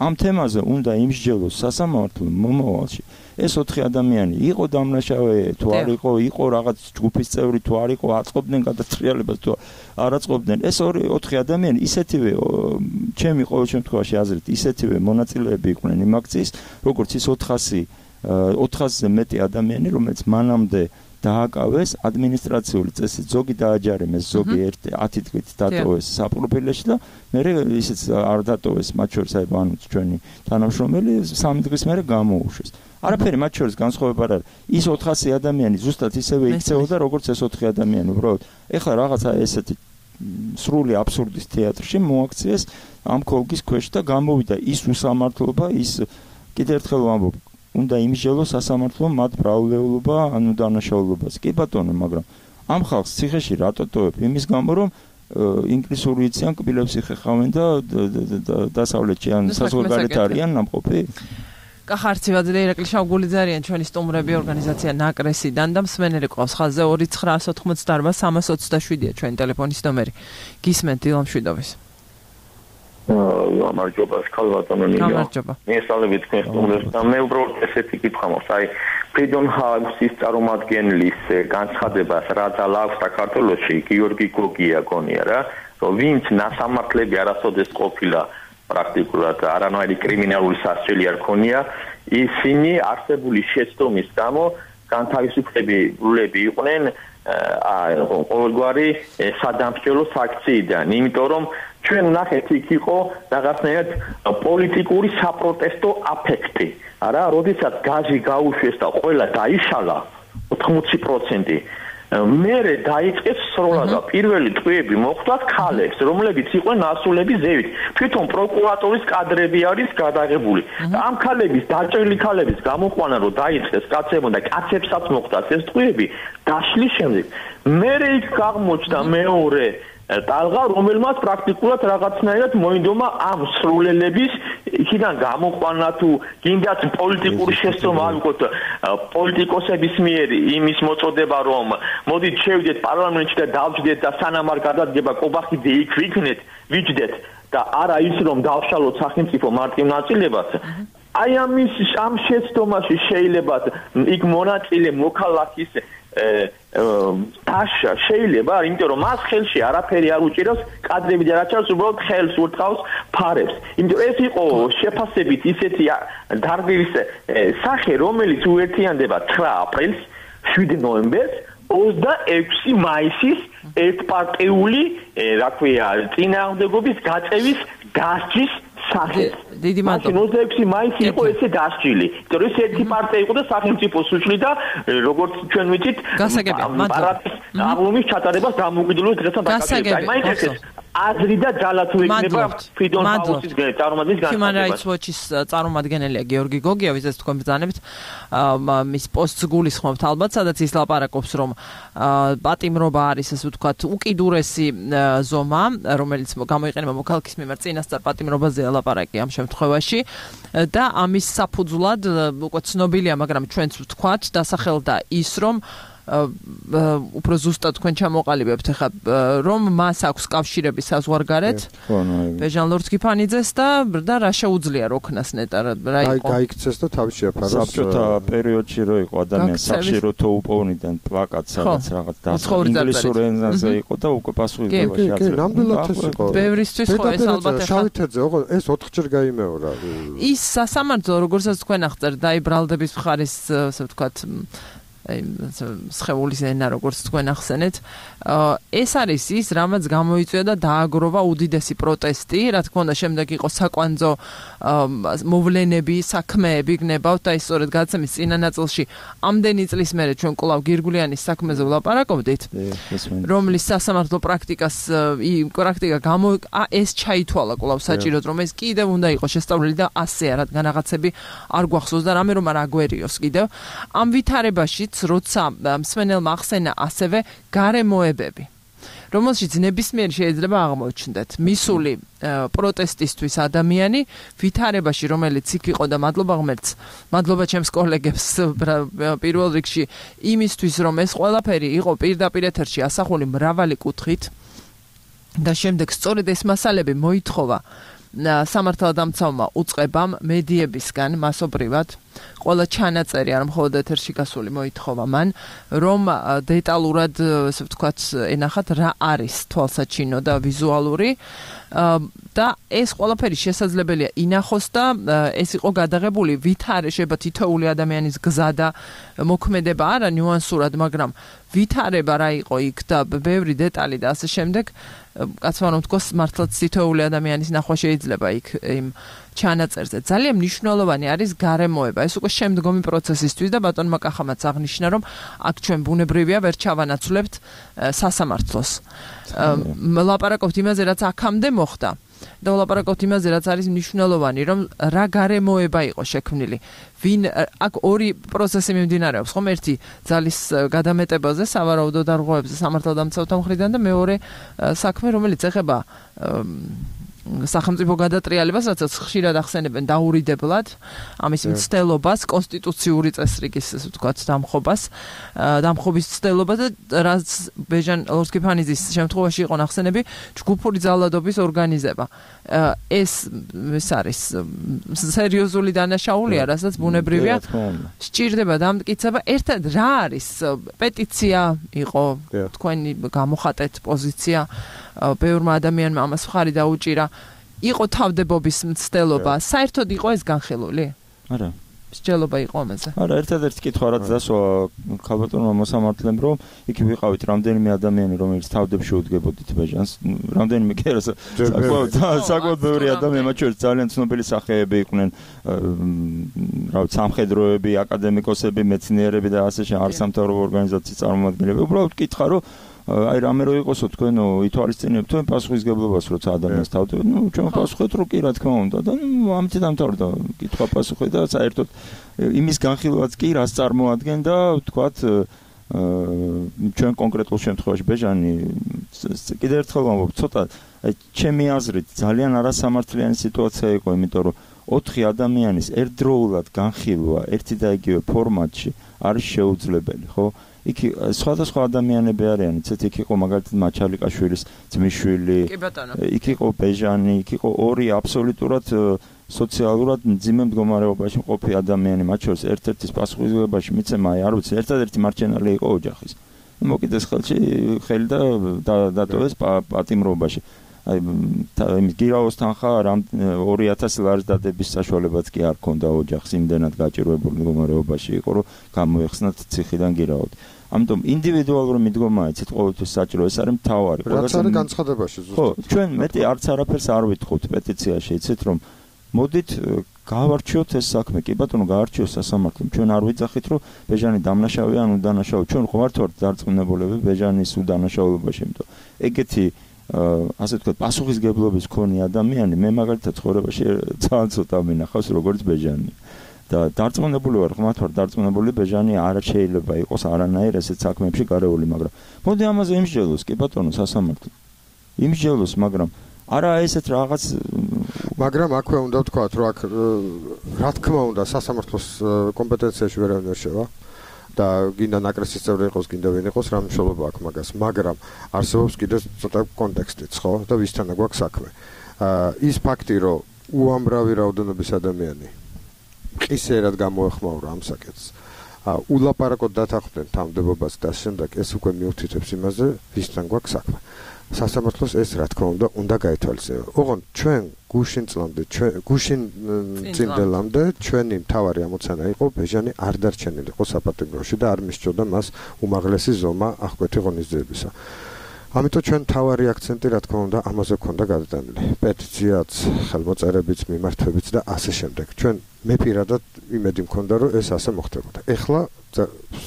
Speaker 7: ამ თემაზე უნდა იმსჯელოს სასამართლო მომავალში. ეს ოთხი ადამიანი იყო დამნაშავე, თუ არ იყო, იყო რაღაც ჯგუფის წევრი, თუ არ იყო, აწყობდნენ გადატრიალებას, თუ არ აწყობდნენ. ეს ორი ოთხი ადამიანი ისეთივე ჩემი ყოველ შემთხვევაში აზრით, ისეთივე მონაწილეები იყვნენ იმ აქციის, როგორც ის ოთხასზე მეტი ადამიანი, რომელიც მანამდე დააკავეს ადმინისტრაციული წესით, ზოგი დააჯარიმეს, ზოგი ათი დღით დატოვეს საპროფილეში და მე ისიც არ დატოვეს, მათ შორის აი ბანუც ჩვენი თანამშრომელი სამი დღის მერე გამოუშვეს. არაფერი მათ შორის განსხვავება არ არის. ის ოთხასი ადამიანი ზუსტად ისევე იქცეოდა, როგორც ეს ოთხი ადამიანი, უბრალოდ. ეხლა რაღაცა ესეთი სრული აბსურდის თეატრში მოაქციეს ამ ქოლგის ქვეშ და გამოვიდა ის უსამართლობა, ის კიდევ ერთხელ ვამბობ, უნდა იმსჯელოს სასამართლომ მათ ბრალდეულობა ან უდანაშაულობას. კი ბატონო, მაგრამ ამ ხალხს ციხეში რატო ტოვებ? იმის გამო, რომ ინგლისური იციან, კბილებს იხეხავენ და დასავლეთში ან საზღვარგარეთ არიან ნამყოფი.
Speaker 2: კახარცივაძე, ირაკლი შავგულიძე არიან ჩვენი სტუმრები ორგანიზაცია ნაკრესიდან და მსმენელი ყავს ხაზზე ორი ცხრა ოთხმოცდაარბა სამას ოცდაშვიდია ჩვენი ტელეფონის ნომერი. გისმენთ დილამ შვიდობის.
Speaker 8: გამარჯობა, ქალბატონო ნინო.
Speaker 2: გამარჯობა.
Speaker 8: მიესალმებით თქვენ სტუმრებს და მე უბრალოდ ესეთი კითხვა მაქვს, აი Freedom House-ის წარმომადგენლის განცხადებას რა ძალა აქვს საქართველოში, გიორგი გოგია გონია რა, რომ ვინც ნასამართლები არასოდეს ყოფილა პრაქტიკულად არანაირი კრიმინალური სასჯელი არ ქონია, ისინი არსებული შეცდომის გამო განთავისუფლებლები იყვნენ აი ყოველგვარი სადამსჯელო საქციიდან, იმიტომ რომ ჩვენ ვნახეთ იქ იყო რაღაცნაირად პოლიტიკური საპროტესტო აფექტი. არა, როდესაც გაზი გაუშვეს და ყველა დაიშალა ოთხმოცი პროცენტი მერე დაიწყეს სროლა და პირველი ტყვეები მოხდათ ქალებს, რომლებიც იყვნენ ასულები ზევით. თვითონ პროკურატურის კადრები არის გადაღებული. ამ ქალების დაჭრილი ქალების გამოყვანა რომ დაიწყეს კაცებმა და კაცებსაც მოხდათ ეს ტყვეები, დაშლის შემდეგ მერე იქ აღმოჩნდა მეორე ტალღა, რომელმაც პრაქტიკულად რაღაცნაირად მოინდომა ამ სრულელების იქიდან გამოყვანა თუ გინდათ პოლიტიკური შესწორება ავიღოთ პოლიტიკოსების მიერ იმის მოწოდება რომ მოდით შევიდეთ პარლამენტში და დავჯდეთ და სანამ არ გადადგება კობახიძე იქ ვიქნეთ ვიჯდეთ და არა ის რომ დავშალოთ სახელმწიფო მარტივ ნაწილებას აი ამის ამ შეცდომაში შეიძლება იქ მონაწილე მოქალაქის დაშა შეიძლება, იმიტომ რომ მას ხელში არაფერი არ უჭირავს, კადრები და რაჩავს უბრალოდ ხელს ურტყავს ფარებს. იმიტომ ეს იყო შეფასებით ისეთი დარგვის სახე, რომელიც უერთიანდება ცხრა აპრილს, შვიდი ნოემბერს, ოცდაექვსი მაისის ერთპარტიული, რა ქვია, წინააღმდეგობის გაწევის დასჯის სახეს.
Speaker 2: დიდი მადლობა.
Speaker 8: ოცდაექვსი მაისი იყო ესე დასჯილი. იმიტომ რომ ეს ერთი პარტია იყო და სახელმწიფოს უშლიდა, როგორც ჩვენ ვიცით, პარატის აღლუმის ჩატარებას დამოუკიდებლობის დღესთან დაკავშირებით. აი მაინც ეს აზრი და ძალა თუ იქნება ფრიდონ პაულსის წარმომადგენლის განცხადება.
Speaker 2: Human Rights Watch-ის წარმომადგენელია გიორგი გოგია, ვიზეს თქვენ ბრძანებთ, მის პოსტს გულისხმობთ ალბათ, სადაც ის ლაპარაკობს, რომ პატიმრობა არის, ასე ვთქვათ, უკიდურესი ზომა, რომელიც გამოიყენება მოქალაქის მიმართ წინასწარ პატიმრობაზე ლაპარაკი ამ შემთხვევაში და ამის საფუძვლად უკვე ცნობილია, მაგრამ ჩვენც ვთქვათ, დასახელდა ის, რომ უფრო ზუსტად თქვენ ჩამოყალიბებთ ახლა რომ მას აქვს კავშირები საზღვარგარეთ ბეჟან ლორთქიფანიძეს და და რა შეუძლია როქნას ნეტა რა იყო
Speaker 6: გაიქცეს და თავის შეაფაროს
Speaker 7: საბჭოთა პერიოდში რო იყო ადამიანს სახშირო თოუპოვნიდან პლაკატ სადაც რაღაც და ინგლისურ ენაზე იყო და უკვე პასუხისმგებაში აწევდა
Speaker 6: ნამდვილად ეს იყო
Speaker 2: ბევრისთვის ხო ეს ალბათ ახლა
Speaker 6: შავითეძე ოღონდ ეს ოთხჯერ გაიმეორა
Speaker 2: ის სასამართლო როგორცაც თქვენ აღწერთ დაიბრალდების მხარის ასე ვთქვათ აი სხეულის ენა როგორც თქვენ ახსენეთ ეს არის ის რამაც გამოიწვია და დააგროვა უდიდესი პროტესტი რა თქმა უნდა შემდეგ იყო საკვანძო მოვლენები საქმეები გნებავთ და ის სწორედ გადაცემის წინა ნაწილში ამდენი წლის მერე ჩვენ კვლავ გირგულიანის საქმეზე ვლაპარაკობდით რომლის სასამართლო პრაქტიკას პრაქტიკა გამო ეს ჩაითვალა კვლავ საჭიროდ რომ ეს კიდევ უნდა იყოს შესწავლილი და ასე რადგან რაღაცები არ გვახსოვს და რამე რომ არ აგვერიოს კიდევ ამ ვითარებაში როცა მსმენელმა ახსენა ასევე გარემოებები რომელშიც ნებისმიერ შეიძლება აღმოჩნდეთ მისული პროტესტისთვის ადამიანი ვითარებაში რომელიც იქ იყო და მადლობა ღმერთს მადლობა ჩემს კოლეგებს პირველ რიგში იმისთვის რომ ეს ყველაფერი იყო პირდაპირ ეთერში ასახული მრავალი კუთხით და შემდეგ სწორედ ეს მასალები მოითხოვა სამართალდამცავმა უწყებამ მედიებისგან მასობრივად ყველა ჩანაწერი არ მხოლოდ ეთერში გასული მოითხოვა მან რომ დეტალურად ასე ვთქვათ ენახათ რა არის თვალსაჩინო და ვიზუალური და ეს ყველაფერი შესაძლებელია ინახოს და ეს იყო გადაღებული ვითარე შეიძლება თითოეული ადამიანის გზა და მოქმედება არა ნიუანსურად მაგრამ ვითარება რა იყო იქ და ბევრი დეტალი და ასე შემდეგ კაცმა რომ თქოს მართლაც თითოეული ადამიანის ნახვა შეიძლება იქ იმ ჩანაწერზე ძალიან მნიშვნელოვანი არის გარემოება ეს უკვე შემდგომი პროცესისთვის და ბატონმა კახამაც აღნიშნა რომ აქ ჩვენ ბუნებრივია ვერ ჩავანაცვლებთ სასამართლოს ლაპარაკობთ იმაზე რაც აქამდე მოხდა და ლაპარაკობთ იმაზე რაც არის მნიშვნელოვანი რომ რა გარემოება იყო შექმნილი ვინ აქ ორი პროცესი მიმდინარეობს ხომ ერთი ძალის გადამეტებაზე სავარაუდო დარღვევებზე სამართალდამცავთა მხრიდან და მეორე საქმე რომელიც ეხება სახელმწიფო გადატრიალებას, რაც ხშირად ახსენებენ დაურიდებლად, ამის მცდელობას, კონსტიტუციური წესრიგის, ასე ვთქვათ, დამხობას, დამხობის მცდელობას და რაც ბეჟან ლორთქიფანიძის შემთხვევაში იყო ნახსენები, ჯგუფური ძალადობის ორგანიზება. ეს ეს არის სერიოზული დანაშაულია, რასაც ბუნებრივია სჭირდება დამტკიცება. ერთად რა არის პეტიცია იყო თქვენი გამოხატეთ პოზიცია ბევრმა ადამიანმა ამას მხარი დაუჭირა იყო თავდებობის მცდელობა საერთოდ იყო ეს განხილული
Speaker 7: არა
Speaker 2: მსჯელობა იყო ამაზე.
Speaker 7: არა, ერთადერთი კითხვა რაც დასვა ქალბატონმა მოსამართლემ, რომ იქ ვიყავით რამდენიმე ადამიანი, რომელიც თავდებში უდგებოდით ბეჟანს, რამდენიმე კი არა, საკმაოდ ბევრი ადამიანი, მათ შორის ძალიან ცნობილი სახეები იყვნენ, რა ვიცი, სამხედროები, აკადემიკოსები, მეცნიერები და ასე შემდეგ, არასამთავრობო ორგანიზაციის წარმომადგენლები. უბრალოდ კითხა, რომ აი რამე რო იყოსო თქვენო ითვალისწინებთ თუ პასუხისგებლობას როცა ადამიანს თავდებთ, ნუ ჩვენ პასუხეთ რო კი რა თქმა უნდა და ნუ ამით დამთავრდა კითხვა პასუხი და საერთოდ იმის განხილვაც კი რას წარმოადგენდა ვთქვათ ჩვენ კონკრეტულ შემთხვევაში ბეჟანი კიდევ ერთხელ ვამბობ ცოტა ჩემი აზრით ძალიან არასამართლიანი სიტუაცია იყო, იმიტომ რომ ოთხი ადამიანის ერთდროულად განხილვა ერთი და იგივე ფორმატში არის შეუძლებელი, ხო? იქ სხვადასხვა ადამიანები არიან, იცით, იქ იყო მაგალითად მაჩალიკაშვილის ძმისშვილი, იქ იყო ბეჟანი, იქ იყო ორი აბსოლუტურად სოციალურად მძიმე მდგომარეობაში მყოფი ადამიანი, მათ შორის ერთ-ერთის პასუხისმგებლობაში მიცემა, აი არ ვიცი, ერთადერთი მარჩენალი იყო ოჯახის. მოკიდეს ხელში ხელი და დატოვეს პატიმრობაში. აი იმის გირაოსთან ხარ ორი ათასი ლარის დადების საშუალებაც კი არ ქონდა ოჯახს, იმდენად გაჭირვებული მდგომარეობაში იყო, რომ გამოეხსნათ ციხიდან გირაოდ. ამიტომ ინდივიდუალური მიდგომა იცით ყოველთვის საჭირო, ეს არის მთავარი.
Speaker 6: რაც არის განცხადებაში ზუსტად.
Speaker 7: ხო, ჩვენ მეტი არც არაფერს არ ვითხოვთ პეტიციაში, იცით, რომ მოდით გავარჩიოთ ეს საქმე. კი ბატონო, გაარჩიოს სასამართლომ. ჩვენ არ ვიძახით, რომ ბეჟანი დამნაშავეა, ან უდანაშაო. ჩვენ ხوارთ ვართ დარწმუნებულები ბეჟანის უდანაშაულობაში, იმიტომ ეგეთი ასე ვთქვათ, პასუხისგებლობის მქონე ადამიანი მე მაგალითად ცხოვრებაში ძალიან ცოტა მინახავს როგორც ბეჟანი. და დარწმუნებული ვარ, ხმათ ვარ დარწმუნებული ბეჟანი არ შეიძლება იყოს არანაირ ესეთ საქმეებში გარეული, მაგრამ მოდი ამაზე იმსჯელოს, კი ბატონო, სასამართლო. იმსჯელოს, მაგრამ არა ესეთ რაღაც
Speaker 6: მაგრამ აქვე უნდა ვთქვათ, რომ აქ რა თქმა უნდა სასამართლოს კომპეტენციაში ვერავინ ვერ შევა. და გინდა ნაკრესის წევრი იყოს, გინდა ვინ იყოს, რა მნიშვნელობა აქვს მაგას, მაგრამ არსებობს კიდევ ცოტა კონტექსტიც, ხო? და ვისთანა გვაქვს საქმე. ის ფაქტი, რომ უამრავი რაოდენობის ადამიანი ყისერად გამოეხმაურა ამ საკითხს. ულაპარაკოდ დათანხმდნენ თავმდებობას და შემდეგ ეს უკვე მიუთითებს იმაზე, ვისთან გვაქვს საქმე. სასამართლოს ეს რა თქმა უნდა უნდა გაითვალისწინებინა. ოღონდ ჩვენ გუშინ წლამდე, ჩვენ გუშინ წინდელამდე ჩვენი მთავარი ამოცანა იყო ბეჟანი არ დარჩენილიყო საპატიმროში და არ მისჭოდა მას უმაღლესი ზომა აღკვეთი ღონისძიებისა. ამიტომ ჩვენ მთავარი აქცენტი რა თქმა უნდა ამაზე ქონდა გადატანილი. პეტიციაც, ხელმოწერებიც, მიმართვებიც და ასე შემდეგ. ჩვენ მე პირადად იმედი მქონდა რომ ეს ასე მოხდებოდა. ეხლა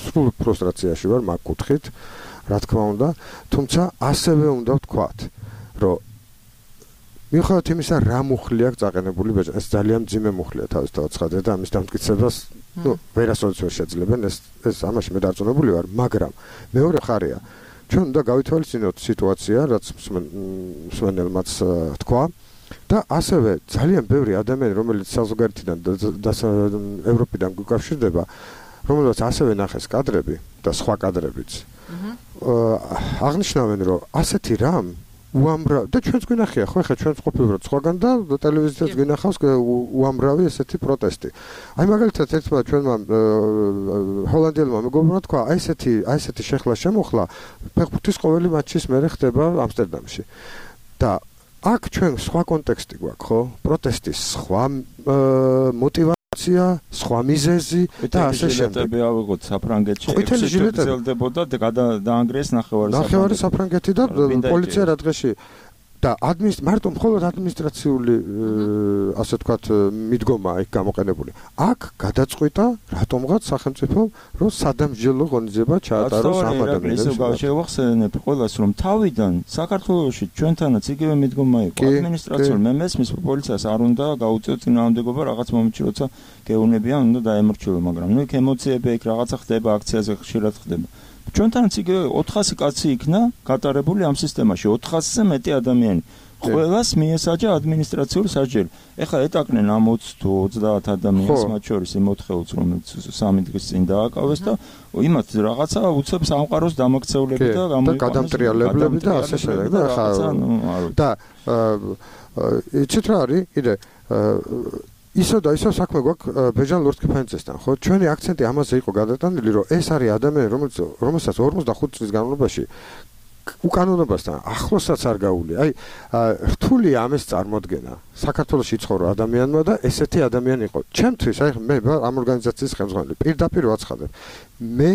Speaker 6: სრულ ფრუსტრაციაში ვარ მაგ კუთხით. რა თქმა უნდა, თუმცა ასევე უნდა ვთქვათ, რომ მიუხედავად იმისა, რა მუხლი აქვს წაყენებული ბეჟანი, ეს ძალიან მძიმე მუხლია თავისთავად ცხადია და ამის დამტკიცებას, ნუ ვერასოდეს ვერ შეძლებენ, ეს ეს ამაში მე დარწმუნებული ვარ, მაგრამ მეორე ხარია, ჩვენ უნდა გავითვალისწინოთ სიტუაცია, რაც მსმენელმაც თქვა და ასევე ძალიან ბევრი ადამიანი, რომელიც საზღვარგარეთიდან და ევროპიდან გვიკავშირდება, რომელსაც ასევე ნახეს კადრები და სხვა კადრებიც. აღნიშნავენ, რომ ასეთი რამ უამრავ და ჩვენც გვინახია, ხო, ხა ჩვენც ყოფილიყავთ სხვაგან და ტელევიზიაზეც გვინახავს უამრავი ესეთი პროტესტი. აი მაგალითად ერთმა ჩვენმა ჰოლანდიელმა მეგობრმა თქვა, აი ესეთი, აი ესეთი შეხლა შემოხლა ფეხბურთის ყოველი მატჩის მერე ხდება ამსტერდამში. და აქ ჩვენ სხვა კონტექსტი გვაქვს, ხო? პროტესტის სხვა მოტივაცია, სხვა მიზეზი და ასე შემდეგ.
Speaker 7: ეტები ავიღოთ საფრანგეთში, ეხსელდებოდა და დაანგრიეს ნახევარი საფრანგეთი.
Speaker 6: ნახევარი საფრანგეთი და პოლიცია რა დღეში და ადმინისტრ მარტო მხოლოდ ადმინისტრაციული ასე ვთქვათ მიდგომა იქ გამოყენებული. აქ გადაწყვიტა რატომღაც სახელმწიფომ რომ სადამსჯელო ღონისძიება ჩაატაროს ამ ადამიანებს.
Speaker 7: ისევ გავშევახსენებ ყველას რომ თავიდან საქართველოში ჩვენთანაც იგივე მიდგომა იყო. ადმინისტრაციულ მე მესმის პოლიციას არ უნდა გაუწიოთ წინააღმდეგობა რაღაც მომენტში როცა გეუნებიან უნდა დაემორჩილო, მაგრამ ნუ იქ ემოციები იქ რაღაცა ხდება, აქციაზე ხშირად ხდება. ჩვენთანაც იგივე ოთხასი კაცი იქნა გატარებული ამ სისტემაში, ოთხასზე მეტი ადამიანი. ყველას მიესაჯა ადმინისტრაციული სასჯელი. ეხლა ეტაკნენ ამ ოცი თუ ოცდაათ ადამიანს, მათ შორის იმ ოთხეულს, რომელიც სამი დღის წინ დააკავეს და იმათ რაღაცა უცებ სამყაროს დამაქცეულები და
Speaker 6: გამოიყვანეს გადამტრიალებლები და ასე შემდეგ და ხა და იცით რა არის კიდე ისო და ისო საქმე გვაქვს ბეჟან ლორთქიფანიძესთან, ხო? ჩვენი აქცენტი ამაზე იყო გადატანილი, რომ ეს არის ადამიანი, რომელიც რომელსაც ორმოცდახუთი წლის განმავლობაში უკანონობასთან ახლოსაც არ გაული. აი, რთული ამის წარმოდგენა. საქართველოში იცხოვრ ადამიანმა და ესეთი ადამიანი იყო. ჩემთვის, აი, მე ამ ორგანიზაციის ხელმძღვანელი, პირდაპირ ვაცხადებ. მე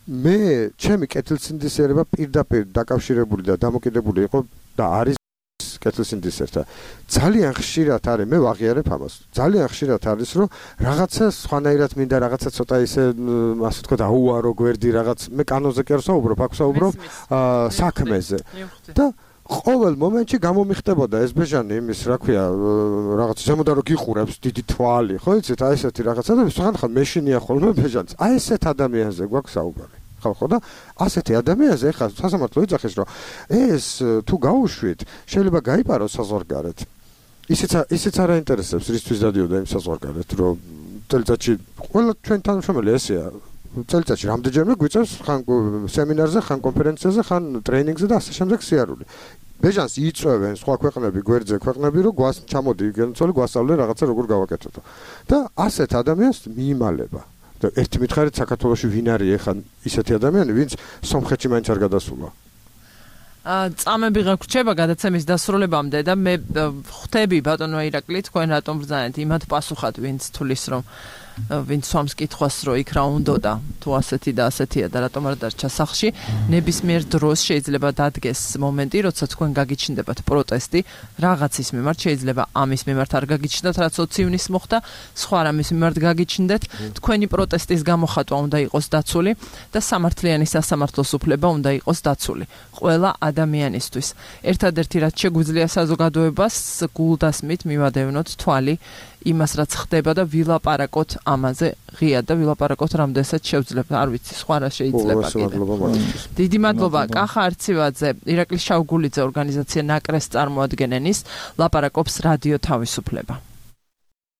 Speaker 6: მე ჩემი კეთილსინდისერება პირდაპირ დაკავშირებული და დამოკიდებული იყო და არის კეთილსინდისერთან. ძალიან ხშირად არის, მე ვაღიარებ ამას. ძალიან ხშირად არის, რომ რაღაცა სხვანაირად მინდა, რაღაცა ცოტა ისე, ასე ვთქვათ, აუარო გვერდი რაღაც, მე კანონზე კი არ ვსაუბრობ, აქ ვსაუბრობ საქმეზე. და ყოველ მომენტში გამომიხდებოდა ეს ბეჟანი იმის, რა ქვია, რაღაც ზემოდან რო გიყურებს დიდი თვალი, ხო იცით, აი ესეთი რაღაცა და სხვანაირად მეშინია ხოლმე ბეჟანს. აი ესეთ ადამიანზე გვაქვს საუბარი. ხო ხო და ასეთი ადამიანზე ახლა სასამართლო იძახის რომ ეს თუ გაუშვით შეიძლება გაიპაროს საზღვარგარეთ ისიც ისიც არ აინტერესებს რისთვის დადიოდა იმ საზღვარგარეთ რომ წელიწადში ყველა ჩვენ თანამშრომელი ესეა წელიწადში რამდენჯერმე გვიწევს ხან სემინარზე ხან კონფერენციაზე ხან ტრეინინგზე და ასე შემდეგ სიარული ბეჟანს იწვევენ სხვა ქვეყნები გვერდზე ქვეყნები რომ გვას ჩამოდი გენცოლი გვასწავლე რაღაცა როგორ გავაკეთოთ და ასეთ ადამიანს მიიმალება და ერთი მითხარით საქართველოში ვინ არის ახლა ისეთი ადამიანი, ვინც სომხეთში მაინც არ გადასულა.
Speaker 2: აა წამები გაგვრჩება გადაცემის დასრულებამდე და მე ხვდები ბატონო ირაკლი თქვენ რატომ ბრძანეთ იმათ პასუხად, ვინც თulis რომ ვინც სვამს კითხვას რომ იქ რა უნდოდა თუ ასეთი და ასეთია და რატომ არ დარჩა სახლში ნებისმიერ დროს შეიძლება დადგეს მომენტი როცა თქვენ გაგიჩნდებათ პროტესტი რაღაცის მიმართ შეიძლება ამის მიმართ არ გაგიჩნდათ რაც ოცი ივნისს მოხდა სხვა რამის მიმართ გაგიჩნდეთ თქვენი პროტესტის გამოხატვა უნდა იყოს დაცული და სამართლიანი სასამართლოს უფლება უნდა იყოს დაცული ყველა ადამიანისთვის ერთადერთი რაც შეგვიძლია საზოგადოებას გულდასმით მივადევნოთ თვალი იმას რაც ხდება და ვილაპარაკოთ ამაზე ღიად და ვილაპარაკოთ რამდენსაც შევძლებთ არ ვიცი სხვა რა შეიძლება კიდე დიდი მადლობა კახა არცივაძე ირაკლი შავგულიძე ორგანიზაცია ნაკრეს წარმოადგენენის ლაპარაკობს რადიო თავისუფლება